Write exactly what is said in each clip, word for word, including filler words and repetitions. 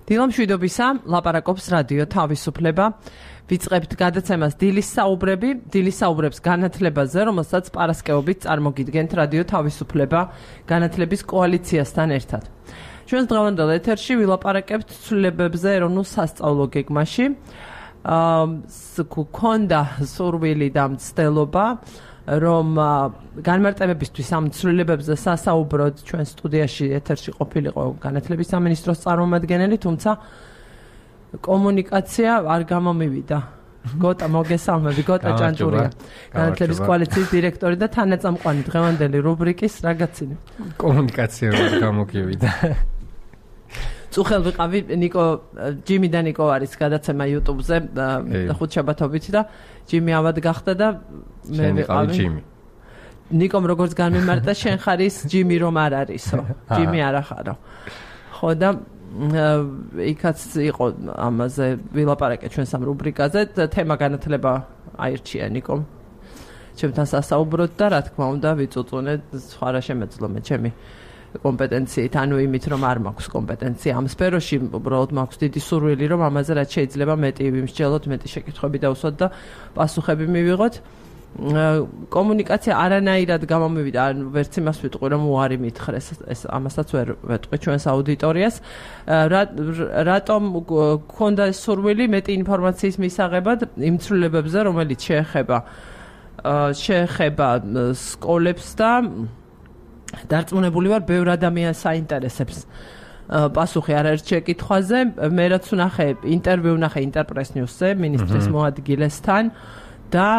დილამშვიდობისა, ლაპარაკობს რადიო თავისუფლება. ვიწყებთ გადაცემას დილის საუბრები, დილის საუბრებს განათლებაზე, რომელსაც პარასკევობით წარმოგიდგენთ რადიო თავისუფლება განათლების კოალიციასთან ერთად. ჩვენს დღევანდელ ეთერში ვილაპარაკებთ ცვლილებებზე ეროვნულ სასწავლო გეგმაში. გქონდა სურვილი და მცდელობა, რომ განმარტებებისთვის ამ ცვლილებებზე სასაუბროდ ჩვენ სტუდიაში ეთერში ყოფილიყო განათლების სამინისტროს წარმომადგენელი, თუმცა კომუნიკაცია არ გამომივიდა. გოტა მოგესალმები, გოტა ჭანჭურია. განათლების კოალიციის დირექტორი და თანაწამყვანი დღევანდელი რუბრიკის რაგაცინი. კომუნიკაცია არ გამოგივიდა. წუხელ ვიყავი ნიკო ჯიმი და ნიკო არის გადაცემა YouTube-ზე ხუთშაბათობით და ჯიმი ავად გახდა და მე ვიყავი ჯიმი. ნიკომ როგორც განმემარტა შენ ხარის ჯიმი რომ არ არისო. ჯიმი არ ახარო. ხო და იქაც იყო ამაზე ვილაპარაკე ჩვენ სამ რუბრიკაზე თემა განათლება აირჩია ნიკომ. ჩემთან სასაუბროთ და რა თქმა უნდა ვიწუწუნე სხვა რა შემეძლო მე ჩემი კომპეტენციით, ანუ იმით, რომ არ მაქვს კომპეტენცია ამ სფეროში, უბრალოდ მაქვს დიდი სურვილი, რომ ამაზე რაც შეიძლება მეტი ვიმსჯელოთ, მეტი შეკითხვები დავუსვათ და პასუხები მივიღოთ. კომუნიკაცია არანაირად გამომივიდა, ანუ ვერც იმას ვიტყვი, რომ უარი მითხრეს, ეს ამასაც ვერ ვეტყვი ჩვენს აუდიტორიას. რატომ გქონდა სურვილი მეტი ინფორმაციის მისაღებად იმ ცვლილებებზე, რომელიც შეეხება შეეხება სკოლებს და დარწმუნებული ვარ, ბევრ ადამიანს საინტერესებს პასუხი არაერთ შეკითხვაზე. მე რაც ვნახე ინტერვიუ ვნახე ინტერპრეს ნიუსზე მინისტრის მოადგილესთან და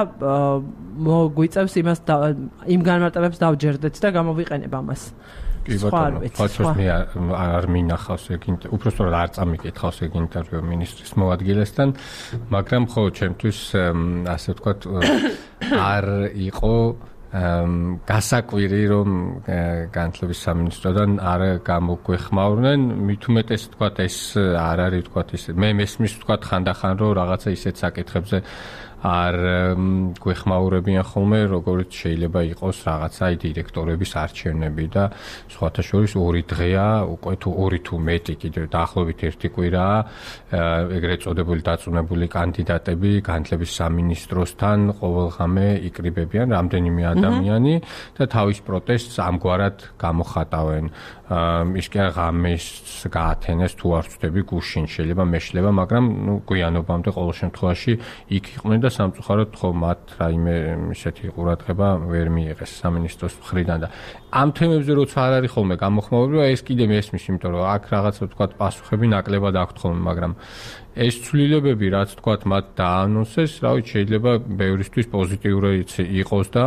მოგვიწევს იმას იმ განმარტებებს დავჯერდეთ და გამოვიყენებ ამას. კი ბატონო, ფაქტობრივად მე არ მინახავს ეგ ინტერვიუ, უბრალოდ არ წამიკითხავს ეგ ინტერვიუ მინისტრის მოადგილესთან, მაგრამ ხო ჩემთვის ასე ვთქვათ არ იყო გასაკვირი რომ განათლების სამინისტროდან არ გამოგვეხმაურნენ, მით უმეტეს ვთქვათ ეს არ არის ვთქვათ ის მე მესმის ვთქვათ ხანდახან რომ რაღაცა ისეთ საკითხებზე არ გვეხმაურებიან ხოლმე, როგორც შეიძლება იყოს რაღაცა დირექტორების არჩევნები და სხვათა შორის ორი დღეა, უკვე თუ ორი თუ მეტი კიდევ დაახლოებით ერთი კვირაა ეგრეთ წოდებული დაწუნებული კანდიდატები განათლების სამინისტროსთან ყოველღამე იკრიბებიან რამდენიმე ადამიანი და თავის პროტესტს ამგვარად გამოხატავენ. ის კი ღამეს გაათენეს თუ არ ვწდები გუშინ შეიძლება მეშლება, მაგრამ ნუ გვიანობამდე ყოველ შემთხვევაში იქ იყვნენ და სამწუხაროდ ხო მათ რაიმე ისეთი ყურადღება ვერ მიიღეს სამინისტროს მხრიდან და ამ თემებზე როცა არ არის ხოლმე გამოხმაურება, ეს კიდე მესმის, იმიტომ რომ აქ რაღაცა ვთქვათ პასუხები ნაკლებად აქვთ ხოლმე, მაგრამ ეს ცვლილებები რაც ვთქვათ მათ დაანონსეს, რა ვიცი შეიძლება ბევრისთვის პოზიტიური იყოს და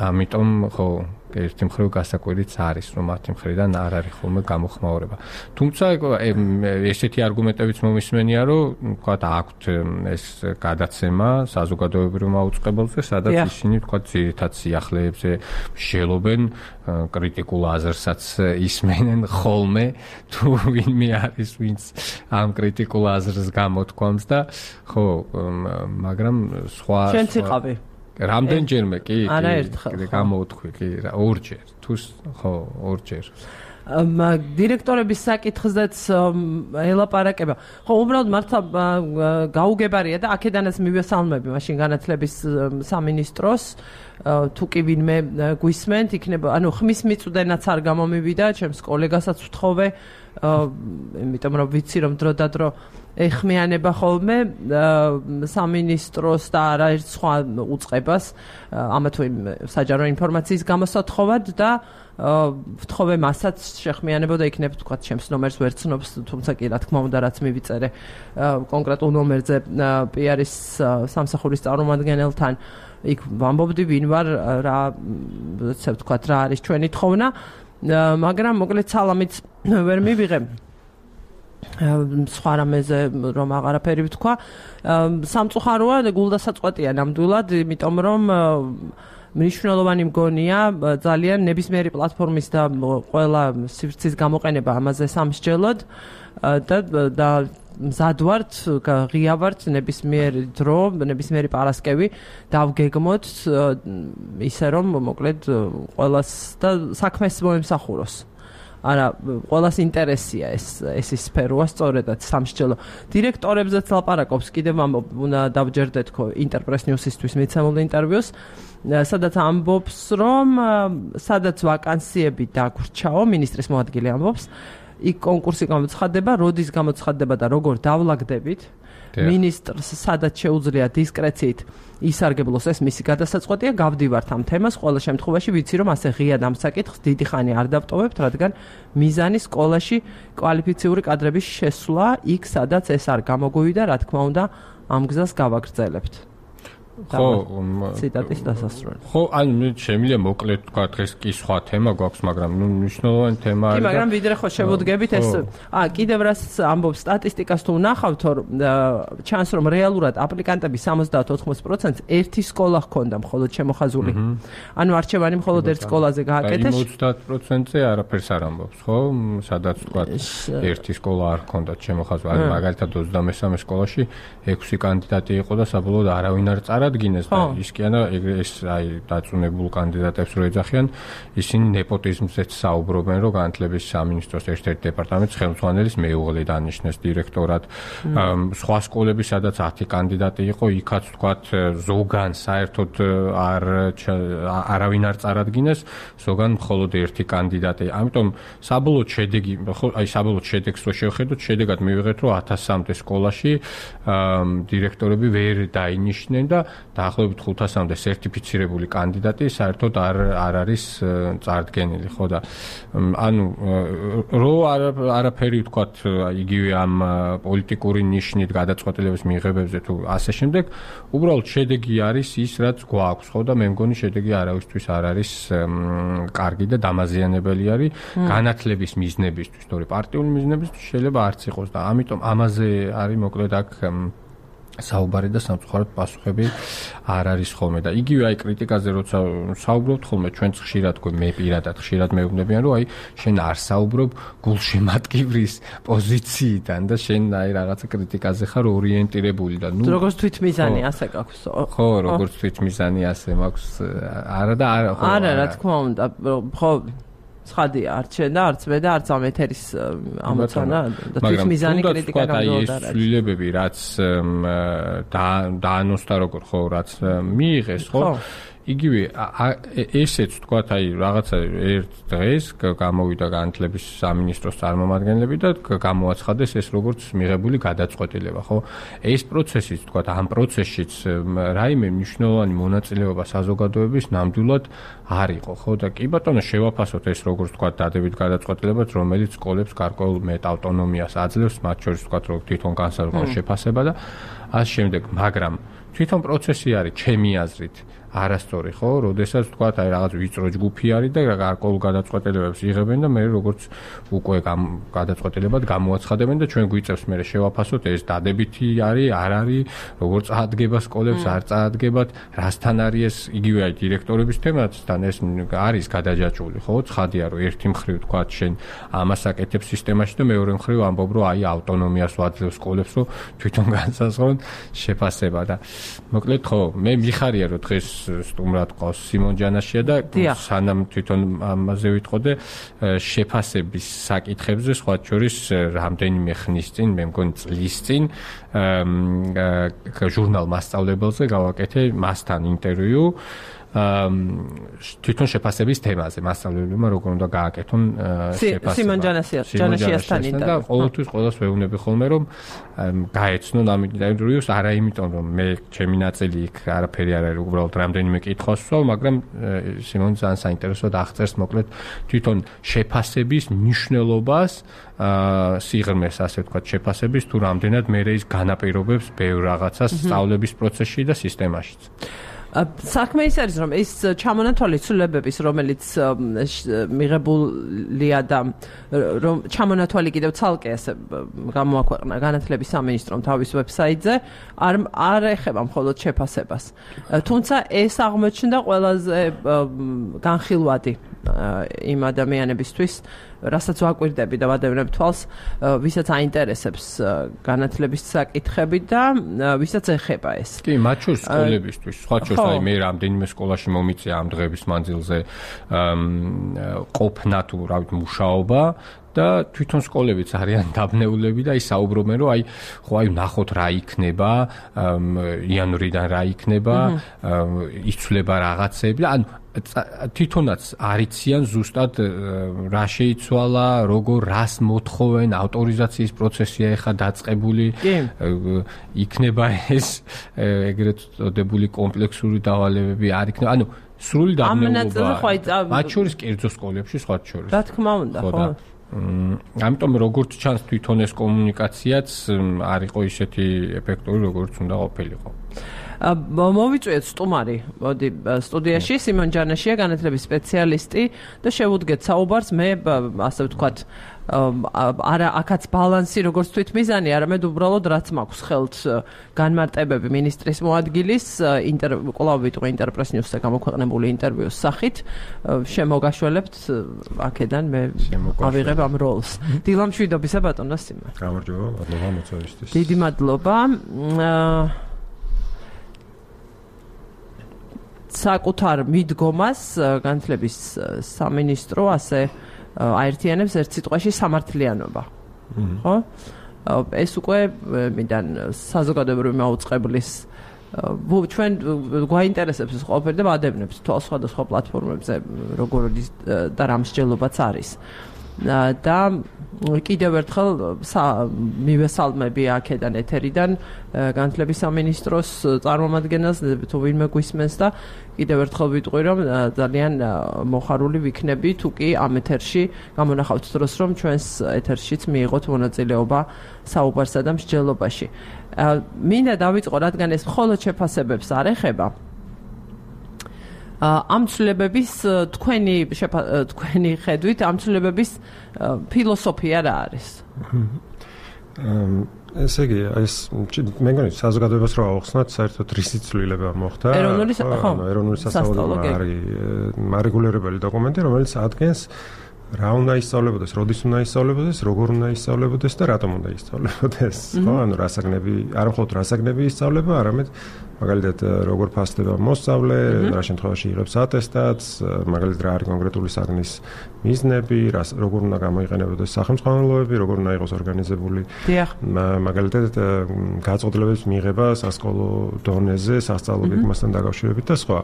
ამიტომ ხო ერთი მხრივ გასაკვირიც არის, რომ მათი მხრიდან არ არის ხოლმე გამოხმაურება. თუმცა ესეთი არგუმენტებიც მომისმენია, რომ ვთქვათ აქვთ ეს გადაცემა საზოგადოებრივ მაუწყებელზე, სადაც ისინი ვთქვათ ძირითად სიახლეებზე მსჯელობენ, კრიტიკულ აზრსაც ისმენენ ხოლმე, თუ ვინმე არის, ვინც ამ კრიტიკულ აზრს გამოთქვამს და ხო, მაგრამ სხვა შენც იყავი რამდენჯერმე კი არაერთხელ გამოვთქვი კი ორჯერ თუ ხო ორჯერ დირექტორების საკითხზეც ელაპარაკება. ხო, უბრალოდ მართლა გაუგებარია და აქედანაც მივესალმები მაშინ განათლების სამინისტროს თუ კი ვინმე გვისმენთ, იქნება, ანუ ხმის მიწვდენაც არ გამომივიდა, ჩემს კოლეგასაც ვთხოვე, იმიტომ რომ ვიცი რომ დრო და დრო ეხმიანება ხოლმე სამინისტროს და არაერთ სხვა უწყებას ამა თუ იმ საჯარო ინფორმაციის გამოსათხოვად და ვთხოვე მასაც შეხმიანებოდა იქნებ თქვა ჩემს ნომერს ვერ ცნობს, თუმცა კი რა თქმა უნდა რაც მივიწერე კონკრეტულ ნომერზე პი-არის სამსახურის წარმომადგენელთან იქ ვამბობდი ვინ ვარ, რა ესე ვთქვა რა არის ჩვენი თხოვნა, მაგრამ მოკლედ სალამიც ვერ მივიღე სხვა რამეზე რომ აღარაფერი ვთქვა. სამწუხაროა გულდასაწყვეტია ნამდვილად, იმიტომ რომ მნიშვნელოვანი მგონია ძალიან ნებისმიერი პლატფორმის და ყველა სივრცის გამოყენება ამაზე სამსჯელოდ და და მზად ვართ, ღია ვართ ნებისმიერი დრო, ნებისმიერი პარასკევი დავგეგმოთ ისე რომ მოკლედ ყველას და საქმეს მოემსახუროს. არა, ყველას ინტერესია ეს ეს სფეროა სწორედაც სამსჯელო. დირექტორებზეც ლაპარაკობს, კიდევ ამბობ, უნდა დავჯერდეთ ხო ინტერპრეს ნიუსისთვის მიცემულ ინტერვიუს, სადაც ამბობს, რომ სადაც ვაკანსიები დაგვრჩაო, მინისტრის მოადგილე ამბობს, იქ კონკურსი გამოცხადდება, როდის გამოცხადდება და როგორ დავლაგდებით. მინისტრს სადაც შეუძლია დისკრეციით ისარგებლოს ეს მისი გადასაწყვეტია, გავდივართ ამ თემას, ყველა შემთხვევაში ვიცი რომ ასე ღიად ამ საკითხს დიდი ხანი არ დავტოვებთ, რადგან მიზანი სკოლაში კვალიფიციური კადრების შესვლა იქ სადაც ეს არ გამოგვივიდა, რა თქმა უნდა ამ გზას გავაგრძელებთ. ხო, ციტატის დასასრული. ხო, ანუ შემიძლია მოკლედ თქვა დღეს კი სხვა თემა გვაქვს, მაგრამ ნუ მნიშვნელოვანი თემა არის. კი, მაგრამ ვიდრე ხო შევუდგებით ეს, აა, კიდევ რას ამბობს სტატისტიკას თუ ვნახავთ, ჩანს რომ რეალურად აპლიკანტების სამოცდაათ ოთხმოცი პროცენტს ერთი სკოლა ჰქონდა მხოლოდ შემოხაზული. ანუ არჩევანი მხოლოდ ერთ სკოლაზე გააკეთეს. ოცდაათ პროცენტზე არაფერს არ ამბობს, ხო? სადაც თქვა ერთი სკოლა არ ჰქონდათ შემოხაზული. ანუ მაგალითად ოცდამესამე სკოლაში ექვსი კანდიდატი იყო და საბოლოოდ არავინ არ წარ ადგენს და ის კი არა ეს აი დაწუნებულ კანდიდატებს რო ეძახიან ისინი ნეპოტიზმზეც საუბრობენ რომ განათლების სამინისტროს ერთ-ერთ დეპარტამენტის ხელმძღვანელის მეუღლე დანიშნეს დირექტორად სხვა სკოლები სადაც ათი კანდიდატი იყო იქაც თქვათ ზოგან საერთოდ არ არავინ არ წარადგინეს ზოგან მხოლოდ ერთი კანდიდატი ამიტომ საბოლოოდ შედეგი ხო აი საბოლოოდ შედეგს რო შევხედოთ შედეგად მივიღეთ რომ ათასამდე სკოლაში დირექტორები ვერ დაინიშნენ და დაახლოებით ხუთასამდე სერტიფიცირებული კანდიდატი საერთოდ არ არ არის წარდგენილი, ხო და ანუ რო არაფერი ვთქვათ იგივე ამ პოლიტიკური ნიშნით გადაწყვეტილების მიღებებზე თუ ასე შემდეგ, უბრალოდ შედეგი არის ის, რაც გვაქვს, ხო და მე მგონი შედეგი არავისთვის არ არის კარგი და დამაზიანებელი არის განათლების მიზნებისთვის, თორე პარტიული მიზნებისთვის შეიძლება არც იყოს და ამიტომ ამაზე არის მოკლედ აქ საუბარი და სამწუხაროდ პასუხები არ არის ხოლმე და იგივე აი კრიტიკაზე როცა საუბრობთ ხოლმე ჩვენც ხშირად გვე მე პირადად ხშირად მეუბნებიან რომ აი შენ არ საუბრობ გულშემატკივრის პოზიციიდან და შენ აი რაღაცა კრიტიკაზე ხარ ორიენტირებული და ნუ როგორც თვითმიზანი ასე გაქვს ხო როგორც თვითმიზანი ასე მაქვს არა და არა ხო არა რა თქმა უნდა ხო ცხადია არჩენ და არც მე და არც ამ ეთერის ამოცანა და თვითმიზანი კრიტიკა გამოდარა. ეს ცვლილებები რაც დაანონსდა როგორ ხო რაც მიიღეს ხო იგივე ესეც თქვათ აი რაღაცა ერთ დღეს გამოვიდა განათლების სამინისტროს წარმომადგენლები და გამოაცხადეს ეს როგორც მიღებული გადაწყვეტილება ხო ეს პროცესიც თქვათ ამ პროცესშიც რაიმე მნიშვნელოვანი მონაწილეობა საზოგადოების ნამდვილად არ იყო ხო და კი ბატონო შევაფასოთ ეს როგორც თქვათ დადებით გადაწყვეტილებაც რომელიც სკოლებს გარკვეულ მეტ ავტონომიას აძლევს მათ შორის თქვათ რომ თვითონ განსაზღვრო შეფასება და ამ შემდეგ მაგრამ თვითონ პროცესი არის ჩემი აზრით არასწორი ხო, როდესაც თქვათ აი რაღაც ვიწრო ჯგუფი არის და გარკვეულ გადაწყვეტილებებს იღებენ და მე როგორც უკვე გადაწყვეტილებად გამოაცხადებენ და ჩვენ გვიწევს მე შევაფასოთ ეს დადებითი არის, არ არის, როგორ წაადგება სკოლებს, არ წაადგებათ, რასთან არის ეს იგივე აი დირექტორების თემასთან ეს არის გადაჯაჭვული ხო, ცხადია რომ ერთი მხრივ თქვათ შენ ამას აკეთებს სისტემაში და მეორე მხრივ ამბობ რომ აი ავტონომიას ვაძლევ სკოლებს რომ თვითონ განსაზღვრონ შეფასება და მოკლედ ხო, მე მიხარია რომ დღეს სტუმრად ყავს სიმონ ჯანაშია და სანამ თვითონ ამაზე ვიტყოდე შეფასების საკითხებზე სხვა შორის რამდენიმე ხნის წინ მე მგონი წლის წინ ჟურნალ მასწავლებელზე გავაკეთე მასთან ინტერვიუ თვითონ შეფასების თემაზე მასწავლებლებმა როგორ უნდა გააკეთონ შეფასება სიმონ ჯანაშიასთან ინტერვიუ და ყოველთვის ყველას ვეუბნები ხოლმე რომ გაეცნონ ამ ინტერვიუს არა იმიტომ რომ მე ჩემი ნაწილი იქ არაფერი არ არის უბრალოდ რამდენიმე კითხვას ვსვავ მაგრამ სიმონ ძალიან საინტერესოდ აღწერს მოკლედ თვითონ შეფასების მნიშვნელობას სიღრმეს ასე ვთქვათ შეფასების თუ რამდენად მე ის განაპირობებს ბევრ რაღაცას სწავლების პროცესში და სისტემაშიც საქმე ის არის რომ ეს ჩამონათვალი ცვლილებების რომელიც მიღებულია და რომ ჩამონათვალი კიდევ ცალკე ასე გამოაქვეყნა განათლების სამინისტრომ თავის ვებსაიტზე არ არ ეხება მხოლოდ შეფასებას თუმცა ეს აღმოჩნდა ყველაზე განხილვადი იმ ადამიანებისთვის რასაც ვაკვირდები და ვადევნებ თვალს, ვისაც აინტერესებს განათლების საკითხები და ვისაც ეხება ეს. კი, მათ შორის სკოლებისთვის, სხვა შორის აი მე რამდენიმე სკოლაში მომიწია ამ დღების მანძილზე ყოფნა თუ რა ვიცი მუშაობა და თვითონ სკოლებიც არიან დაბნეულები და ის საუბრობენ რომ აი ხო აი ნახოთ რა იქნება იანვრიდან რა იქნება იცვლება რაღაცები და ანუ თვითონაც არიციან ზუსტად რა შეიცვალა როგორ რას მოთხოვენ ავტორიზაციის პროცესია ეხა დაწყებული იქნება ეს ეგრეთ წოდებული კომპლექსური დავალებები არ იქნება ანუ სრული დაბნეულობა მათ შორის კერძო სკოლებში სხვა შორის რა თქმა უნდა ხო ამიტომ როგორც ჩანს თვითონ ეს კომუნიკაციაც არ იყო ისეთი ეფექტური როგორც უნდა ყოფილიყო. მოვიწვიეთ სტუმარი, მოდი სტუდიაში სიმონ ჯანაშია, განათლების სპეციალისტი და შევუდგეთ საუბარს მე ასე ვთქვათ არა აქაც ბალანსი როგორც თვითმიზანი, არამედ უბრალოდ რაც მაქვს ხელთ განმარტებები მინისტრის მოადგილის კვლავ ვიტყვი ინტერპრეს ნიუსზე გამოქვეყნებული ინტერვიუს სახით შემოგაშველებთ აქედან მე ავიღებ ამ როლს. დილა მშვიდობისა ბატონო სიმონ. გამარჯობა, მადლობა მოწვევისთვის. დიდი მადლობა. საკუთარ მიდგომას განათლების სამინისტრო ასე აერთიანებს ერთ სიტყვაში სამართლიანობა. ხო? ეს უკვე მიდან საზოგადოებრივი მაუწყებლის ჩვენ გვაინტერესებს ეს ყველაფერი და ვადევნებთ თვალს სხვადასხვა პლატფორმებზე როგორი და რა მსჯელობაც არის. და კიდევ ერთხელ მივესალმები აქედან ეთერიდან განათლების სამინისტროს წარმომადგენელს თუ ვინმე გვისმენს და კიდევ ერთხელ ვიტყვი რომ ძალიან მოხარული ვიქნები თუ კი ამ ეთერში გამონახავთ დროს რომ ჩვენს ეთერშიც მიიღოთ მონაწილეობა საუბარსა და მსჯელობაში. მინდა დავიწყო რადგან ეს მხოლოდ შეფასებებს არ ეხება ამ ცვლილებების თქვენი თქვენი ხედვით ამ ცვლილებების ფილოსოფია რა არის? ესე იგი, ეს მე მგონი საზოგადოებას რო ავხსნათ, საერთოდ რისი ცვლილება მოხდა? ეროვნული ეროვნული სასწავლებელი არის მარეგულირებელი დოკუმენტი, რომელიც ადგენს რა უნდა ისწავლებოდეს, როდის უნდა ისწავლებოდეს, როგორ უნდა ისწავლებოდეს და რატომ უნდა ისწავლებოდეს. ხო, ანუ რასაგნები, არ მხოლოდ რასაგნები ისწავლება, არამედ მაგალითად როგორ ფასდება მოსწავლე, რა შემთხვევაში იღებს ატესტატს, მაგალითად რა არის კონკრეტული საგნის მიზნები, როგორ უნდა გამოიყენებოდეს სახელმძღვანელოები, როგორ უნდა იყოს ორგანიზებული მაგალითად გაწყვეტილებების მიღება სასკოლო დონეზე, სასწავლო გეგმასთან დაკავშირებით და სხვა.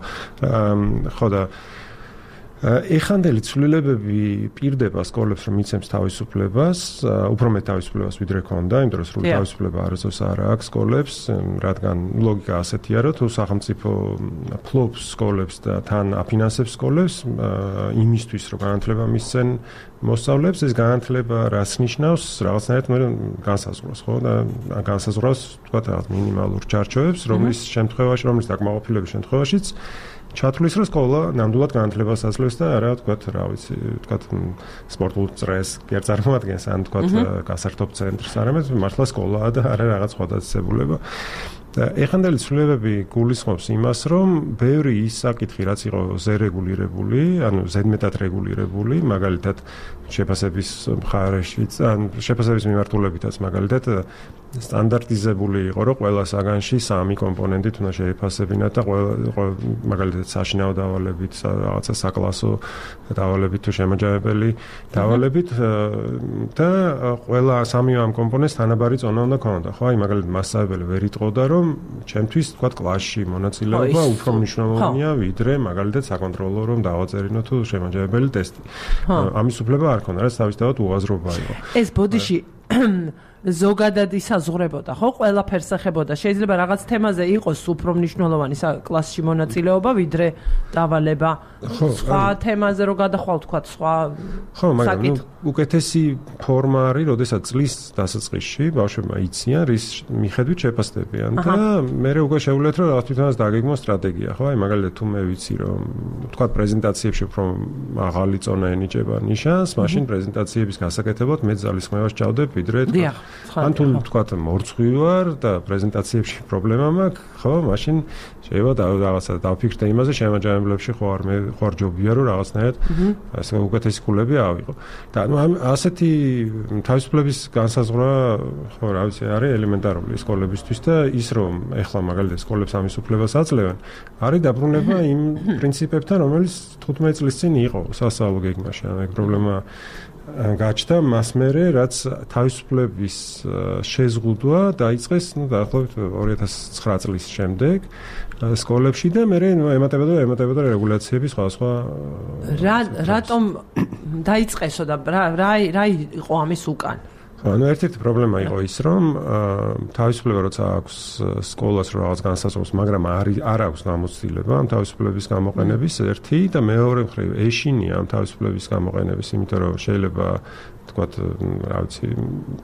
ხო და ეხანდელი ცვლილებები პირდება სკოლებს რომ იცემს თავისუფლებას, უფრო მეტ თავისუფლებას ვიდრე ქონდა, იმიტომ რომ სრული თავისუფლება არასდროს არ აქვს სკოლებს, რადგან ლოგიკა ასეთია, რომ თუ სახელმწიფო ფლობს სკოლებს და თან აფინანსებს სკოლებს იმისთვის, რომ განათლება მისცენ მოსწავლეებს, ეს განათლება რას ნიშნავს, რაღაცნაირად მე განსაზღვროს, ხო? და განსაზღვროს, თქვა რაღაც მინიმალურ ჩარჩოებს, რომლის შემთხვევაში, რომლის დაკმაყოფილების შემთხვევაშიც ჩათვლის რომ სკოლა ნამდვილად განათლებას აძლევს და არა თქვა რა ვიცი თქვა სპორტულ წრეს კი არ წარმოადგენს ან თქვა გასართობ ცენტრს არამედ მართლა სკოლაა და არა რაღაც სხვა დაწესებულება და ეხანდელი ცვლილებები გულისხმობს იმას რომ ბევრი ის საკითხი რაც იყო ზერეგულირებული ანუ ზედმეტად რეგულირებული მაგალითად შეფასების მხარეშიც ან შეფასების მიმართულებითაც მაგალითად სტანდარტიზებული იყო რომ ყველა საგანში სამი კომპონენტით უნდა შეიფასებინა და ყველა მაგალითად საშინაო დავალებით რაღაცა საკლასო დავალებით თუ შემაჯამებელი დავალებით და ყველა სამი ამ კომპონენტს თანაბარი წონა უნდა ქონოდა ხო აი მაგალითად მასწავლებელი ვერ იტყოდა რომ ჩემთვის თქვა კლასში მონაწილეობა უფრო მნიშვნელოვანია ვიდრე მაგალითად საკონტროლო რომ დავაწერინო თუ შემაჯამებელი ტესტი ამის უფლება არ ქონდა რაც თავისთავად უაზრობა იყო ეს ბოდიში ზოგადად ისაზღვრებოდა, ხო? ყველაფერს ეხებოდა. შეიძლება რაღაც თემაზე იყოს უფრო მნიშვნელოვანი კლასში მონაწილეობა, ვიდრე დავალება. სხვა თემაზე რო გადახვალ თქვა, სხვა ხო, მაგრამ უკეთესი ფორმა არის, როდესაც წლის დასაწყისში ბავშვებმა იციან, რის მიხედვით შეფასდებიან და მე უკვე შეუძლიათ რომ რაღაც თვითონაც დაგეგმო სტრატეგია, ხო? აი მაგალითად თუ მე ვიცი რომ თქვა პრეზენტაციებში უფრო მაღალი წონა ენიჭება ნიშანს, მაშინ პრეზენტაციების გასაკეთებლად მე ძალისხმევას ჭავდებ, ვიდრე თქვა ან თუ თქვათ მორცხვი ვარ და პრეზენტაციებში პრობლემა მაქვს, ხო, მაშინ შეიძლება რაღაცა დავფიქრდე იმაზე, შემაჯამებლებში ხო არ მე ხო არ ჯობია რომ რაღაცნაირად ასე უკეთესი ქულები ავიღო. და ნუ ასეთი თავისუფლების განსაზღვრა ხო რა ვიცი არის ელემენტარული სკოლებისთვის და ის რომ ეხლა მაგალითად სკოლებს ამის უფლებას აძლევენ, არის დაბრუნება იმ პრინციპებთან, რომელიც თხუთმეტი წლის წინ იყო სასწავლო გეგმაში. ანუ ეგ პრობლემა გაჩნდა მას მერე, რაც თავისუფლების შეზღუდვა დაიწყეს, ну, დაახლოებით ორი ათას ცხრა წლის შემდეგ სკოლებში და მერე ემატებოდა ემატებოდა რეგულაციები სხვა-სხვა. რა რატომ დაიწყესო და რა რა იყო ამის უკან? ანუ ერთ-ერთი პრობლემა იყო ის, რომ თავისუფლება როცა აქვს სკოლას რომ რაღაც განსაზღვროს, მაგრამ არ არ აქვს გამოცდილება ამ თავისუფლების გამოყენების ერთი და მეორე მხრივ ეშინია ამ თავისუფლების გამოყენების, იმიტომ რომ შეიძლება თქვათ, რა ვიცი,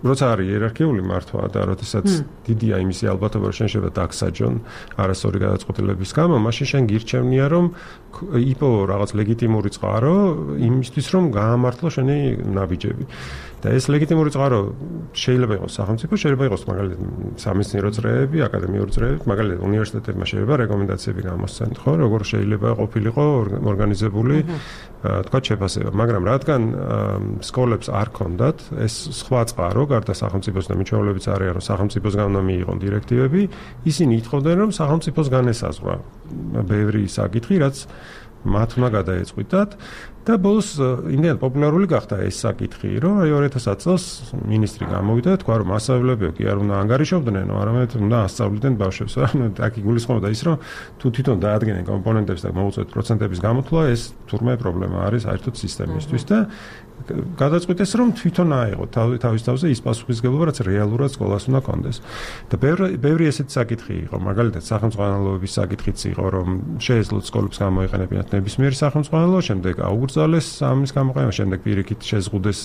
როცა არის იერარქიული მართვა და როდესაც დიდია იმისი ალბათობა, რომ შენ შეიძლება დაგსაჯონ არასწორი გადაწყვეტილების გამო, მაშინ შენ გირჩევნია, რომ იპოვო რაღაც ლეგიტიმური წყარო იმისთვის, რომ გაამართლო შენი ნაბიჯები. და ეს ლეგიტიმური წყარო შეიძლება იყოს სახელმწიფო, შეიძლება იყოს მაგალითად სამეცნიერო წრეები, აკადემიური წრეები, მაგალითად უნივერსიტეტებმა შეიძლება რეკომენდაციები გამოსცენ, ხო, როგორ შეიძლება ყოფილიყო ორგანიზებული თქვა შეფასება, მაგრამ რადგან სკოლებს არ ქონდათ ეს სხვა წყარო, გარდა სახელმწიფოს და მიჩვეულებიც არიან, რომ სახელმწიფოსგან უნდა მიიღონ დირექტივები, ისინი ითხოვდნენ, რომ სახელმწიფოსგან ესაზღვრა ბევრი საკითხი, რაც მათ უნდა გადაეწყვიტათ. და ბოლოს იმდენად პოპულარული გახდა ეს საკითხი, რომ აი ორი ათას ათი წელს მინისტრი გამოვიდა და თქვა, რომ მასწავლებლებო კი არ უნდა ანგარიშობდნენ, არამედ უნდა ასწავლიდნენ ბავშვებს. ანუ აქ იგულისხმობდა ის, რომ თუ თვითონ დაადგენენ კომპონენტებს და მოუწევთ პროცენტების გამოთვლა, ეს თურმე პრობლემა არის საერთოდ სისტემისთვის და გადაწყვიტეს, რომ თვითონ აიღო თავის თავზე ის პასუხისმგებლობა, რაც რეალურად სკოლას უნდა კონდეს. და ბევრი ბევრი ესეთი საკითხი იყო, მაგალითად სახელმწიფოების საკითხიც იყო, რომ შეეძლოთ სკოლებს გამოიყენებინათ ნებისმიერი სახელმწიფო, შემდეგ აუგრძალეს ამის გამოყენება, შემდეგ პირიქით შეზღუდეს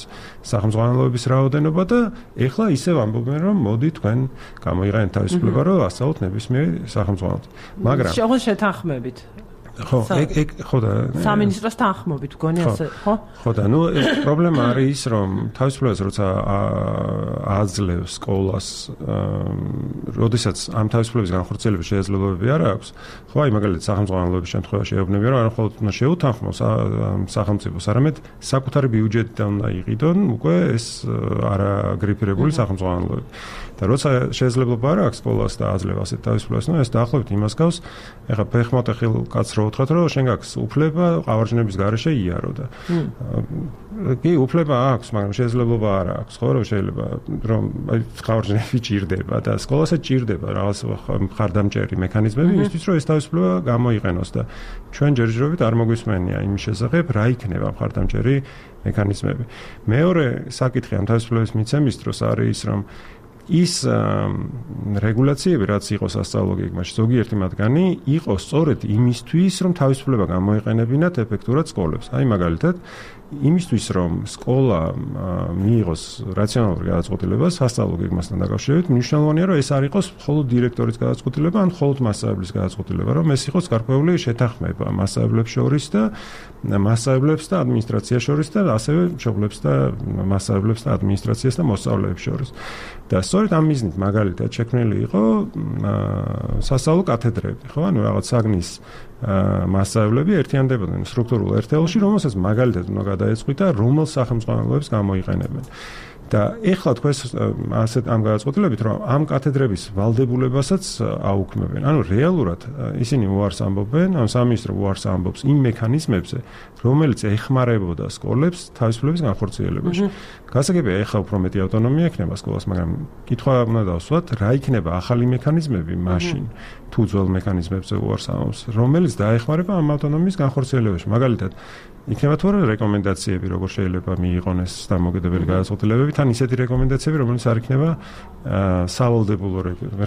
სახელმწიფოების რაოდენობა და ეხლა ისევ ამბობენ, რომ მოდი თქვენ გამოიყენეთ თავისუფლება, რომ ასწავლოთ ნებისმიერი სახელმწიფო. მაგრამ შეღონ შეთანხმებით. ხო, ეგ ეგ ხო და სამინისტროს თანხმობით გონი ასე, ხო? ხო და ნუ ეს პრობლემა არის ის, რომ თავისუფლებას როცა აძლევს სკოლას, როდესაც ამ თავისუფლების განხორციელების შესაძლებლობები არ აქვს, ხო, აი მაგალითად სახელმწიფოების შემთხვევაში ეუბნებიან, რომ არ მხოლოდ უნდა შეუთანხმოს სახელმწიფოს, არამედ საკუთარი ბიუჯეტიდან უნდა იყიდონ უკვე ეს არაგრიფირებული სახელმწიფოები. და როცა შესაძლებლობა არ აქვს სკოლას და აძლევს ასეთ თავისუფლებას, ნუ ეს დაახლოებით იმას გავს, ეხლა ფეხმოთეხილ კაცს რო უთხრათ, რომ შენ გაქვს უფლება ყავარჯნების გარეშე იარო და კი უფლება აქვს, მაგრამ შესაძლებლობა არ აქვს, ხო, რომ შეიძლება რომ აი ყავარჯნები ჭირდება და სკოლასაც ჭირდება რაღაც მხარდამჭერი მექანიზმები იმისთვის, რომ ეს თავისუფლება გამოიყენოს და ჩვენ ჯერჯერობით არ მოგვისმენია იმის შესახებ, რა იქნება მხარდამჭერი მექანიზმები. მეორე საკითხი ამ თავისუფლების მიცემის დროს არის ის, რომ ის რეგულაციები, რაც იყო სასწავლო გეგმაში, ზოგიერთი მათგანი იყო სწორედ იმისთვის, რომ თავისუფლება გამოიყენებინათ ეფექტურად სკოლებს. აი მაგალითად, იმისთვის, რომ სკოლა მიიღოს რაციონალური გადაწყვეტილება სასწავლო გეგმასთან დაკავშირებით, მნიშვნელოვანია, რომ ეს არ იყოს მხოლოდ დირექტორის გადაწყვეტილება, ან მხოლოდ მასწავლებლის გადაწყვეტილება, რომ ეს იყოს გარკვეული შეთანხმება მასწავლებლებს შორის და მასწავლებლებს და ადმინისტრაციას შორის და ასევე მშობლებს და მასწავლებლებს და ადმინისტრაციას და მოსწავლეებს შორის. და სწორედ ამ მიზნით მაგალითად შექმნილი იყო სასწავლო კათედრები, ხო, ანუ რაღაც საგნის მასწავლებლები ერთიანდებოდნენ სტრუქტურულ ერთეულში, რომელსაც მაგალითად უნდა გადაეწყვიტა, რომელ სახელმწიფოებს გამოიყენებენ. და ეხლა თქვენ ასეთ ამ გადაწყვეტილებით, რომ ამ კათედრების ვალდებულებასაც აუქმებენ. ანუ რეალურად ისინი უარს ამბობენ, ან სამინისტრო უარს ამბობს იმ მექანიზმებზე, რომელიც ეხმარებოდა სკოლებს თავისუფლების განხორციელებაში. გასაგებია, ეხლა უფრო მეტი ავტონომია ექნება სკოლას, მაგრამ კითხვა უნდა დავსვათ, რა იქნება ახალი მექანიზმები მაშინ, თუ ძველ მექანიზმებზე უარს ამბობს, რომელიც დაეხმარება ამ ავტონომიის განხორციელებაში. მაგალითად, იქნება თუ არა რეკომენდაციები, როგორ შეიძლება მიიღონეს დამოუკიდებელი გადაწყვეტილებები, თან ისეთი რეკომენდაციები, რომელიც არ იქნება სავალდებულო